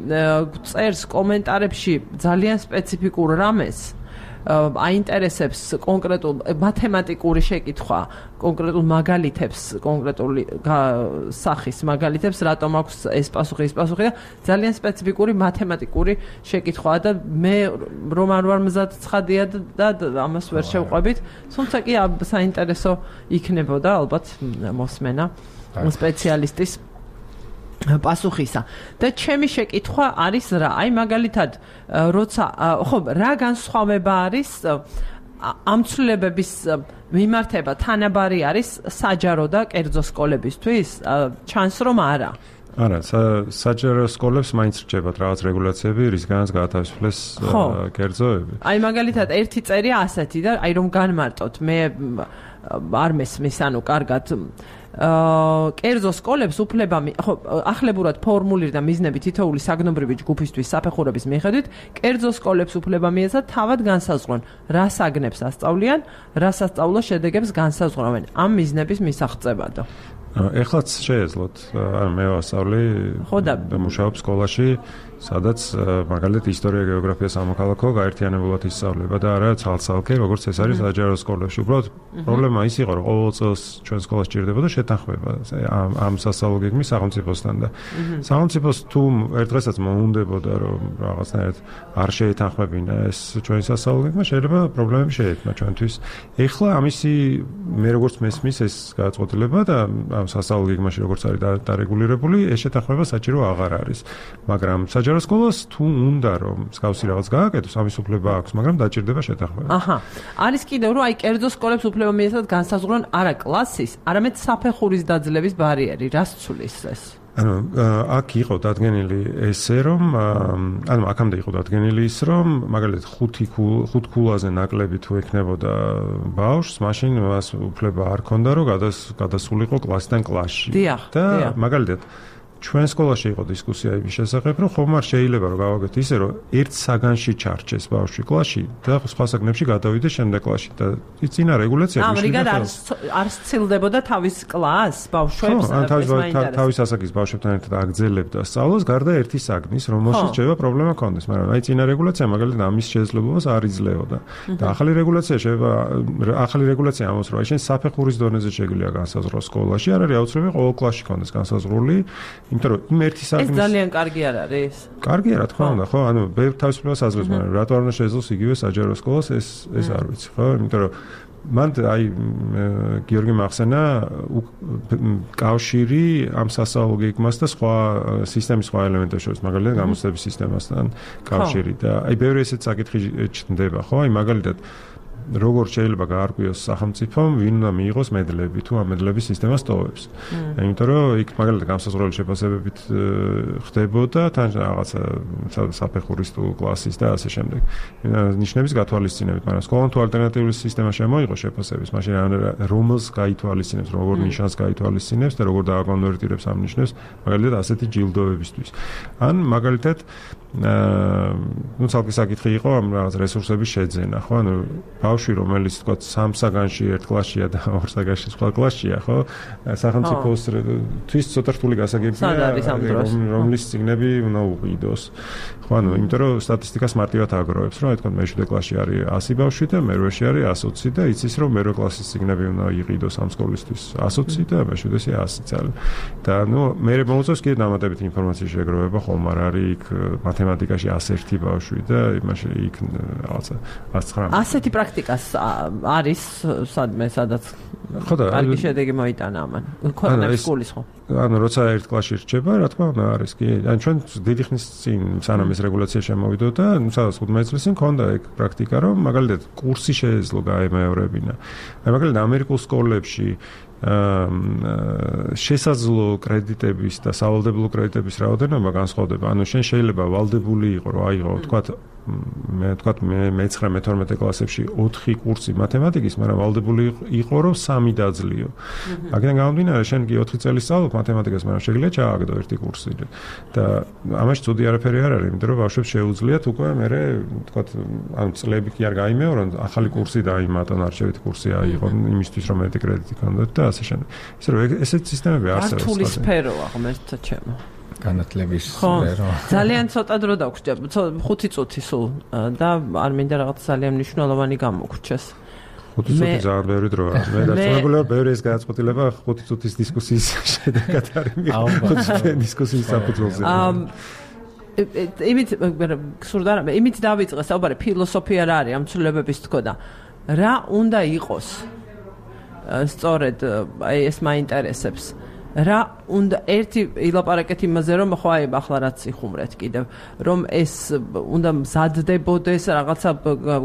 წერს კომენტარებში ძალიან სპეციფიკურ რამეს. აინტერესებს კონკრეტულ მათემატიკური შეკითხვა, კონკრეტულ მაგალითებს, კონკრეტული სახის მაგალითებს, რატომ აქვს ეს პასუხი, ეს პასუხი და ძალიან სპეციფიკური მათემატიკური შეკითხვაა და მე რომ არ ვარ მზად ცხადია და ამას ვერ შევყვებით, თუმცა კი საინტერესო იქნებოდა ალბათ მოსმენა სპეციალისტის პასუხისა. და ჩემი შეკითხვა არის რა? აი მაგალითად, როცა ხო, რა განსხვავება არის ამ ცვლილებების მიმართება თანაბარი არის საჯარო და კერძო სკოლებისთვის? ჩანს რომ არა. არა, საჯარო სკოლებს მაინც რჩებათ რაღაც რეგულაციები, რისგანაც გაათავისუფლეს კერძოები. აი მაგალითად, ერთი წერია ასეთი და აი რომ განმარტოთ, მე არ მესმის, ანუ კარგად აა კერძო სკოლებს უფლება ხო ახლებურად ფორმულირ და მიზნები თითოეული საგნობრივი ჯგუფისთვის საფეხურების მიხედვით კერძო სკოლებს უფლება მიეცათ თავად განსაზღვრონ რას აგნებს ასწავლიან, რა სასწავლო შედეგებს განსაზღვრავენ ამ მიზნების მისაღწევადო. ეხლაც შეეძლოთ, ანუ მე ვასწავლი და მუშაობ სკოლაში, სადაც მაგალითად ისტორია, გეოგრაფია, სამოქალაქო გაერთიანებულად ისწავლება და არა ცალ-ცალკე, როგორც ეს არის საჯარო სკოლებში. უბრალოდ პრობლემა ის იყო, რომ ყოველ წელს ჩვენ სკოლას ჭირდებოდა შეთანხმება ამ ამ სასწავლო გეგმის სახელმწიფოსთან და სახელმწიფოს თუ ერთ დღესაც მოუნდებოდა, რომ რაღაცნაირად არ შეეთანხმებინა ეს ჩვენი სასწავლო გეგმა, შეიძლება პრობლემები შეექმნა ჩვენთვის. ეხლა ამისი მე როგორც მესმის ეს გადაწყვეტილება და ამ სასწავლო გეგმაში როგორც არის დარეგულირებული, ეს შეთანხმება საჭირო აღარ არის. მაგრამ საჯარო სკოლას თუ უნდა რომ მსგავსი რაღაც გააკეთოს, ამის უფლება აქვს, მაგრამ დაჭირდება შეთანხმება. აჰა. არის კიდევ რომ აი კერძო სკოლებს უფლება მიეცათ განსაზღვრონ არა კლასის, არამედ საფეხურის დაძლევის ბარიერი. რას ცulis ეს? ანუ აქ იყო დადგენილი ესე რომ ანუ აქამდე იყო დადგენილი ის რომ მაგალითად ხუთი ხუთ ქულაზე ნაკლები თუ ექნებოდა ბავშვს, მაშინ მას უფლება არ ქონდა რომ გადასულიყო კლასიდან კლასში. და მაგალითად ჩვენ სკოლაში იყო დისკუსია იმის შესახებ, რომ ხომ არ შეიძლება რომ გავაკეთოთ ისე, რომ ერთ საგანში ჩარჩეს ბავშვი კლასში და სხვა საგნებში გადავიდეს შემდეგ კლასში და წინა რეგულაცია მიშნიდა. ამრიგად არ სცილდებოდა თავის კლასს ბავშვებს ეს მაინტერესებს. თავის ასაკის ბავშვებთან ერთად აგრძელებდა სწავლას გარდა ერთი საგნის, რომელშიც შეიძლება პრობლემა ქონდეს, მაგრამ აი წინა რეგულაცია მაგალითად ამის შესაძლებლობას არ იძლეოდა. და ახალი რეგულაცია შეიძლება ახალი რეგულაცია ამბობს, რომ აი შენ საფეხურის დონეზე შეგვიძლია განსაზღვროს სკოლაში, არ არის აუცილებელი ყოველ კლასში ქონდეს განსაზღვრული. იმიტომ რომ იმ ერთი საგნის ეს ძალიან კარგი არ არის. კარგია რა თქმა უნდა, ხო, ანუ ბევრ თავისუფლებას აძლევს, მაგრამ რატო არ უნდა შეძლოს იგივე საჯარო სკოლას, ეს ეს არ ვიცი, ხო? იმიტომ რომ მან აი გიორგი მახსენა კავშირი ამ სასწავლო გეგმას და სხვა სისტემის სხვა ელემენტებს შორის, მაგალითად გამოცდების სისტემასთან კავშირი და აი ბევრი ესეთ საკითხი ჩნდება, ხო? აი მაგალითად როგორ შეიძლება გაარკვიოს სახელმწიფომ ვინ უნდა მიიღოს მედლები თუ ამ მედლების სისტემას ტოვებს. იმიტომ რომ იქ მაგალითად განსაზღვრული შეფასებებით ხდებოდა თან რაღაცა საფეხურის თუ კლასის და ასე შემდეგ. ნიშნების გათვალისწინებით, მაგრამ სკოლამ თუ ალტერნატიული სისტემა შემოიღო შეფასების, მაშინ რომელს გაითვალისწინებს, როგორ ნიშანს გაითვალისწინებს და როგორ დააკონვერტირებს ამ ნიშნებს, მაგალითად ასეთი ჯილდოებისთვის. ან მაგალითად აა ნუ ცალკე საკითხი იყო ამ რაღაც რესურსების შეძენა, ხო? ანუ ბავშვი რომელიც თქვა სამ საგანში ერთ კლასშია და ორ საგანში სხვა კლასშია, ხო? სახელმწიფოს თვის ცოტა რთული გასაგებია, რომლის წიგნები უნდა უყიდოს. ხო, ანუ იმიტომ რომ სტატისტიკას მარტივად აგროვებს, რომ აი თქვა მეშვიდე კლასში არის ასი ბავშვი და მერვეში არის ასი ოცი და იცის რომ მერვე კლასის წიგნები უნდა იყიდოს ამ სკოლისთვის ასი ოცი და მეშვიდეში ასი წელი. და ნუ მე მოუწევს კიდე დამატებითი ინფორმაციის შეგროვება, ხომ არ არის იქ მათემატიკაში ასი ერთი ბავშვი და იმაში იქ რაღაცა ას ცხრამეტი. ასეთი პრაქტიკას არის სადმე სადაც ხო და კარგი შედეგი მოიტანა ამან. ქვეყნების სკოლის ხო? ანუ როცა ერთ კლასში რჩება, რა თქმა უნდა არის კი. ან ჩვენ დიდი ხნის წინ სანამ ეს რეგულაცია შემოვიდოდა, ნუ სადაც ხუთმეტ წლის წინ ქონდა ეგ პრაქტიკა, რომ მაგალითად კურსი შეეძლო გაემეორებინა. აი მაგალითად ამერიკულ სკოლებში აა შესაძლო კრედიტების და სავალდებულო კრედიტების რაოდენობა განსხვავდება. ანუ შენ შეიძლება ვალდებული იყო, რომ აიღო, თქვათ მე თქვა მე მეცხრე მეთორმეტე კლასებში ოთხი კურსი მათემატიკის, მაგრამ ვალდებული იყო რომ სამი დაძლიო. აქედან გამომდინარე, შენ კი ოთხი წელი სწავლობ მათემატიკას, მაგრამ შეგიძლია ჩააგდო ერთი კურსი და ამაში ცუდი არაფერი არ არის, იმიტომ რომ ბავშვებს შეუძლიათ უკვე მე თქვა ანუ წლები კი არ გაიმეორონ, ახალი კურსი დაიმატონ, არჩევითი კურსი აიღონ იმისთვის რომ მეტი კრედიტი გქონდეთ და ასე შემდეგ. ისე რომ ესეთი სისტემები არსებობს. რთული სფეროა ღმერთთა ჩემო. განათლების სფერო. ძალიან ცოტა დრო დაგვრჩა, ხუთი წუთი სულ და არ მინდა რაღაც ძალიან მნიშვნელოვანი გამოგვრჩეს. ხუთი წუთი ძალიან ბევრი დროა. მე დარწმუნებული ვარ, ბევრი ეს გადაწყვეტილება ხუთი წუთის დისკუსიის შედეგად არის. ხუთი წუთის დისკუსიის საფუძველზე. იმით გსურდა რა, იმით დავიწყე საუბარი, ფილოსოფია რა არის ამ ცვლილებების თქოდა. რა უნდა იყოს? სწორედ აი ეს მაინტერესებს. რა უნდა ერთი ილაპარაკეთ იმაზე, რომ ხო აი ახლა რაც იხუმრეთ კიდევ, რომ ეს უნდა მზადდებოდეს რაღაცა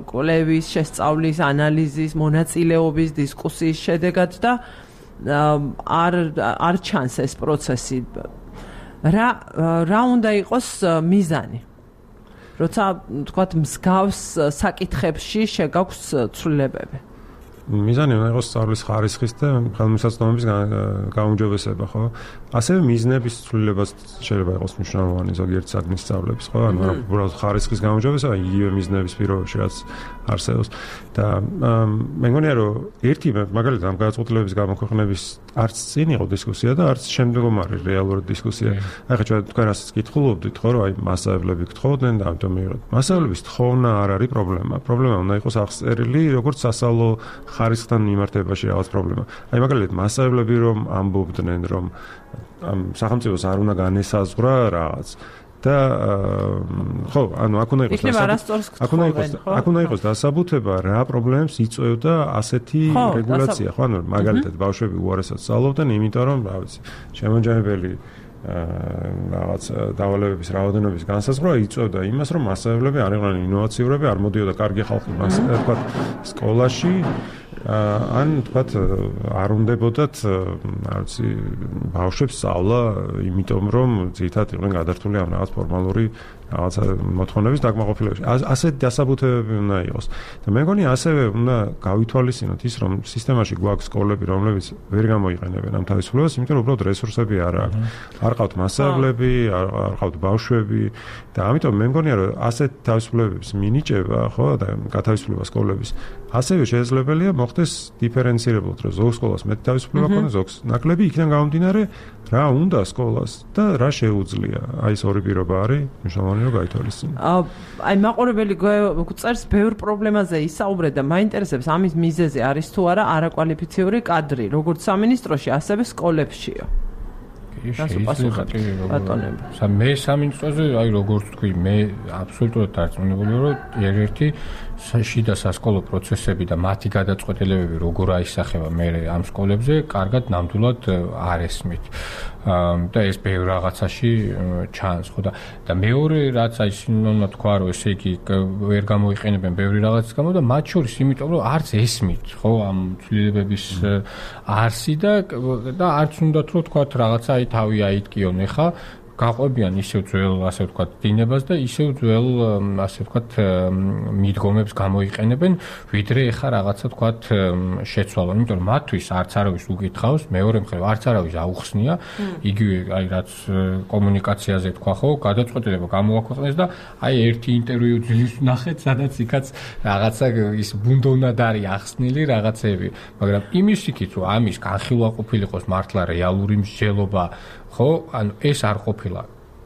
კვლევის, შესწავლის, ანალიზის, მონაწილეობის, დისკუსიის შედეგად და არ არ ჩანს ეს პროცესი. რა რა უნდა იყოს მიზანი? როცა თქვათ მსგავს საკითხებში შეგაქვს ცვლილებები. მიზანი უნდა იყოს სწავლის ხარისხის და ხელმისაწვდომების გაუმჯობესება, ხო? ასევე მიზნების ცვლილებაც შეიძლება იყოს მნიშვნელოვანი ზოგიერთ საგნის სწავლების, ხო? ანუ უბრალოდ ხარისხის გაუმჯობესება, იგივე მიზნების პირობებში რაც არსებობს და მე მგონია რომ ერთი მაგალითად ამ გადაწყვეტილებების გამოქვეყნების არც წინ იყო დისკუსია და არც შემდგომ არის რეალური დისკუსია. აი ხა თქვენ რასაც კითხულობდით, ხო, რომ აი მასწავლებლები გთხოვდნენ და ამიტომ მიიღეთ. მასწავლებლების თხოვნა არ არის პრობლემა. პრობლემა უნდა იყოს აღწერილი როგორც სასწავლო ხარისხთან მიმართებაში რაღაც პრობლემა. აი მაგალითად მასწავლებლები რომ ამბობდნენ რომ ამ სახელმწიფოს არ უნდა განესაზღვრა რაღაც და ხო, ანუ აქ უნდა იყოს აქ უნდა იყოს აქ უნდა იყოს დასაბუთება რა პრობლემებს იწვევდა ასეთი რეგულაცია, ხო, ანუ მაგალითად ბავშვები უარესად სწავლობდნენ, იმიტომ რომ, რა ვიცი, შემოჯამებელი რაღაც დავალებების რაოდენობის განსაზღვრა იწვევდა იმას, რომ მასწავლებლები არ იყვნენ ინოვაციურები, არ მოდიოდა კარგი ხალხი მას თქვა სკოლაში ან თქვათ არ უნდებოდათ რა ვიცი ბავშვებს სწავლა, იმიტომ რომ ძირითადად იყვნენ გადართული ამ რაღაც ფორმალური რაღაც მოთხოვნების დაკმაყოფილებაში. ასეთი დასაბუთებები უნდა იყოს. და მე მგონი ასევე უნდა გავითვალისწინოთ ის, რომ სისტემაში გვაქვს სკოლები, რომლებიც ვერ გამოიყენებენ ამ თავისუფლებას, იმიტომ რომ უბრალოდ რესურსები არ აქვს. არ ყავთ მასწავლებლები, არ ყავთ ბავშვები და ამიტომ მე მგონია რომ ასეთ თავისუფლებების მინიჭება, ხო, და გათავისუფლება სკოლების ასევე შესაძლებელია მოხდეს დიფერენცირებულად, რომ ზოგ სკოლას მეტი თავისუფლება ქონდეს, ზოგს ნაკლები, იქიდან გამომდინარე რა უნდა სკოლას და რა შეუძლია. აი ეს ორი პირობა არის მნიშვნელოვანი რომ გაითვალისწინოთ. აი მაყურებელი წერს ბევრ პრობლემაზე ისაუბრეთ და მაინტერესებს ამის მიზეზი არის თუ არა არაკვალიფიციური კადრი, როგორც სამინისტროში, ასევე სკოლებშიო. შეიძლება მე სამინისტროზე აი როგორც თქვი, მე აბსოლუტურად დარწმუნებული ვარ, რომ ერთ-ერთი შიდა სასკოლო პროცესები და მათი გადაწყვეტილებები როგორ აისახება მე ამ სკოლებზე, კარგად ნამდვილად არ ესმით. და ეს ბევრ რაღაცაში ჩანს, ხო და და მეორე რაც აი სინონიმად თქვა, რომ ესე იგი ვერ გამოიყენებენ ბევრი რაღაცის გამო და მათ შორის იმიტომ რომ არც ესმით, ხო, ამ ცვლილებების არსი და და არც უნდათ რომ თქვა რაღაცა აი თავი აიტკიონ ეხა გაყვებიან ისევ ძველ, ასე ვთქვათ, დინებას და ისევ ძველ, ასე ვთქვათ, მიდგომებს გამოიყენებენ, ვიდრე ეხა რაღაცა ვთქვათ შეცვალონ, იმიტომ რომ მათთვის არც არავის უკითხავს, მეორე მხრივ არც არავის აუხსნია, იგივე აი რაც კომუნიკაციაზე თქვა, ხო, გადაწყვეტილება გამოაქვეყნეს და აი ერთი ინტერვიუ ძილის ნახეთ, სადაც იქაც რაღაცა ის ბუნდოვნად არის ახსნილი რაღაცები, მაგრამ იმის იქით რომ ამის განხილვა ყოფილიყოს მართლა რეალური მსჯელობა, ხო, ანუ ეს არ ყოფილა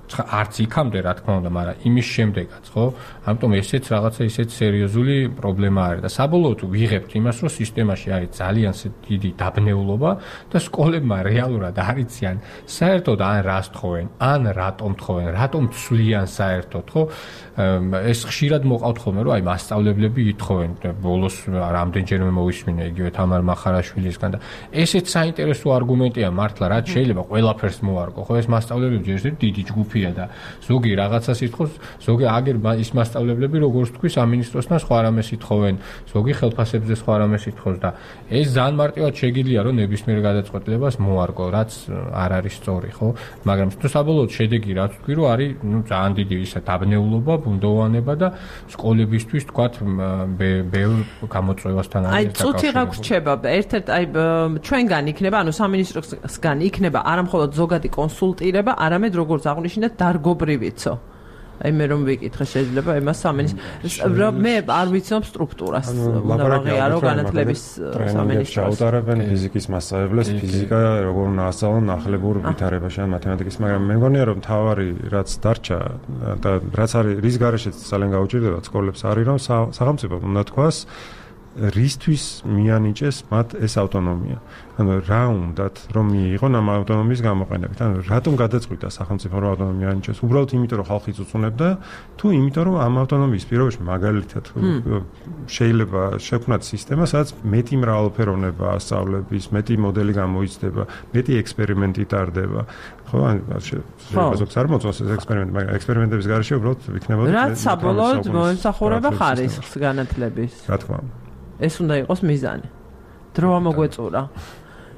არც იქამდე რა თქმა უნდა, მაგრამ იმის შემდეგაც, ხო? ამიტომ ესეც რაღაცა ისეთ სერიოზული პრობლემა არის და საბოლოოდ ვიღებთ იმას, რომ სისტემაში არის ძალიან დიდი დაბნეულობა და სკოლებმა რეალურად არ იციან საერთოდ ან რას თხოვენ, ან რატომ თხოვენ, რატომ ცვლიან საერთოდ, ხო? ეს ხშირად მოყავთ ხოლმე, რომ აი მასწავლებლები ითხოვენ, ბოლოს რამდენჯერმე მოვისმინე იგივე თამარ მახარაშვილისგან და ესეც საინტერესო არგუმენტია მართლა, რაც შეიძლება ყველაფერს მოარგო, ხო? ეს მასწავლებლები ჯერ ერთი დიდი ჯგუფი ჯგუფია და ზოგი რაღაცას ითხოვს, ზოგი აგერ ის მასწავლებლები როგორც თქვი სამინისტროსთან სხვა რამეს ითხოვენ, ზოგი ხელფასებზე სხვა რამეს ითხოვს და ეს ძალიან მარტივად შეგიძლია რომ ნებისმიერ გადაწყვეტილებას მოარგო, რაც არ არის სწორი, ხო? მაგრამ თუ საბოლოოდ შედეგი რაც თქვი რომ არის, ну, ძალიან დიდი ისა დაბნეულობა, ბუნდოვანება და სკოლებისთვის თქვათ ბევრ გამოწვევასთან არის დაკავშირებული. აი, წუთი რა გრჩება, ერთ-ერთ აი ჩვენგან იქნება, ანუ სამინისტროსგან იქნება არა მხოლოდ ზოგადი კონსულტირება, არამედ როგორც აღნიშნეთ, დარგობრივიცო. აი მე რომ ვიკითხე შეიძლება იმას სამინისტრო მე არ ვიცნობ სტრუქტურას უნდა ვაღიარო განათლების სამინისტროს ჩაუტარებენ ფიზიკის მასწავლებლებს ფიზიკა როგორ უნდა ასწავლონ ნახლებურ ვითარებაში ან მათემატიკის მაგრამ მე მგონია რომ თავარი რაც დარჩა და რაც არის რის გარეშეც ძალიან გაუჭირდება სკოლებს არის რომ სახელმწიფო უნდა თქვას რისთვის მიანიჭეს მათ ეს ავტონომია. ანუ რა უნდათ რომ მიიღონ ამ ავტონომიის გამოყენებით. ანუ რატომ გადაწყვიტა სახელმწიფო რომ ავტონომია ანიჭოს? უბრალოდ იმიტომ რომ ხალხი წუწუნებდა, თუ იმიტომ რომ ამ ავტონომიის პირობებში მაგალითად შეიძლება შექმნათ სისტემა, სადაც მეტი მრავალფეროვნება ასწავლების, მეტი მოდელი გამოიცდება, მეტი ექსპერიმენტი ტარდება. ხო, ან შეიძლება ზოგს არ მოწონს ეს ექსპერიმენტი, მაგრამ ექსპერიმენტების გარეშე უბრალოდ იქნებოდა რაც საბოლოოდ მოემსახურება ხარისხს განათლების. რა თქმა უნდა. ეს უნდა იყოს მიზანი. დრო ამოგვეწურა.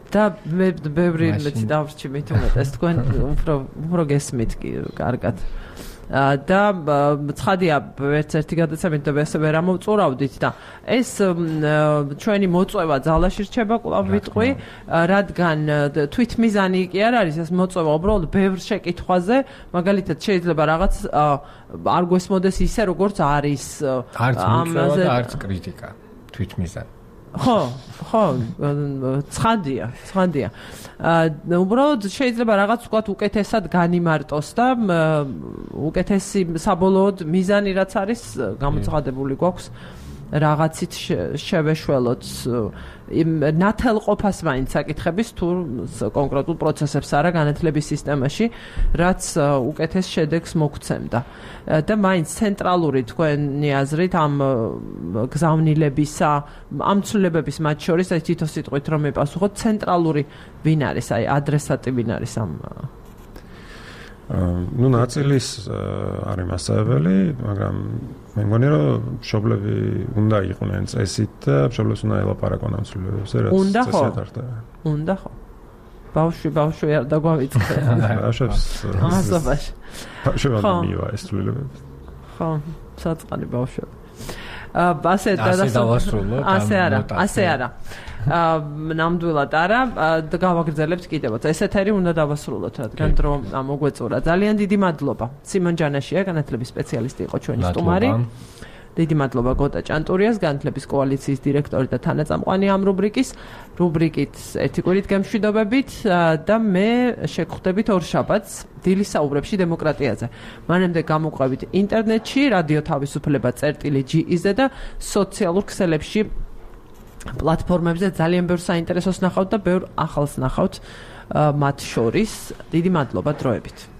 და მე ბევრი მეცი დავრჩი მით უმეტეს თქვენ უფრო უფრო გესმით კი კარგად. და ცხადია ერთ ერთი გადაცემით და ესე ვერ ამოვწურავდით და ეს ჩვენი მოწვევა ძალაში რჩება კვლავ ვიტყვი, რადგან თვითმიზანი კი არ არის ეს მოწვევა უბრალოდ ბევრ შეკითხვაზე, მაგალითად შეიძლება რაღაც არ გვესმოდეს ისე როგორც არის არც მოწვევა და არც კრიტიკა. თვითმიზანი. ხო, ხო, ცხადია, ცხადია. აა უბრალოდ შეიძლება რაღაც ვთქვათ უკეთესად განიმარტოს და უკეთესი საბოლოოდ მიზანი რაც არის გამოცხადებული გვაქვს რაღაცით შევეშველოთ იმ ნათელყოფას მაინც საკითხების თუ კონკრეტულ პროცესებს არა განათლების სისტემაში, რაც უკეთეს შედეგს მოგცემდა. და მაინც ცენტრალური თქვენი აზრით ამ გზავნილებისა, ამ ცვლილებების მათ შორის აი თითო სიტყვით რომ მიპასუხოთ, ცენტრალური ვინ არის, აი ადრესატი ვინ არის ამ ну ნაწილის არის მასწავლებელი, მაგრამ მე მგონი რომ მშობლები უნდა იყვნენ წესით და მშობლებს უნდა ელაპარაკონ ამ ცვლილებებზე, რაც წესად ხდება. უნდა ხო. ბავშვი ბავშვი არ დაგვავიწყე. ბავშვებს ამასობაში. ბავშვებმა მივა ეს ცვლილებები. ხო, საწყალი ბავშვები. ასე დავასრულო. ასე არა, ასე არა. ნამდვილად არა, გავაგრძელებთ კიდევაც. ეს ეთერი უნდა დავასრულოთ, რადგან დრო მოგვეწურა. ძალიან დიდი მადლობა. სიმონ ჯანაშია, განათლების სპეციალისტი იყო ჩვენი სტუმარი. დიდი მადლობა გოტა ჭანტურიას, განათლების კოალიციის დირექტორი და თანაწამყვანი ამ რუბრიკის, რუბრიკით ერთი კვირით გემშვიდობებით და მე შეგხვდებით ორშაბათს დილის საუბრებში დემოკრატიაზე. მანამდე გამოყვებით ინტერნეტში, რადიო თავისუფლება წერტილი ჯი ი-ზე და სოციალურ ქსელებში პლატფორმებზე ძალიან ბევრ საინტერესოს ნახავთ და ბევრ ახალს ნახავთ მათ შორის. დიდი მადლობა დროებით.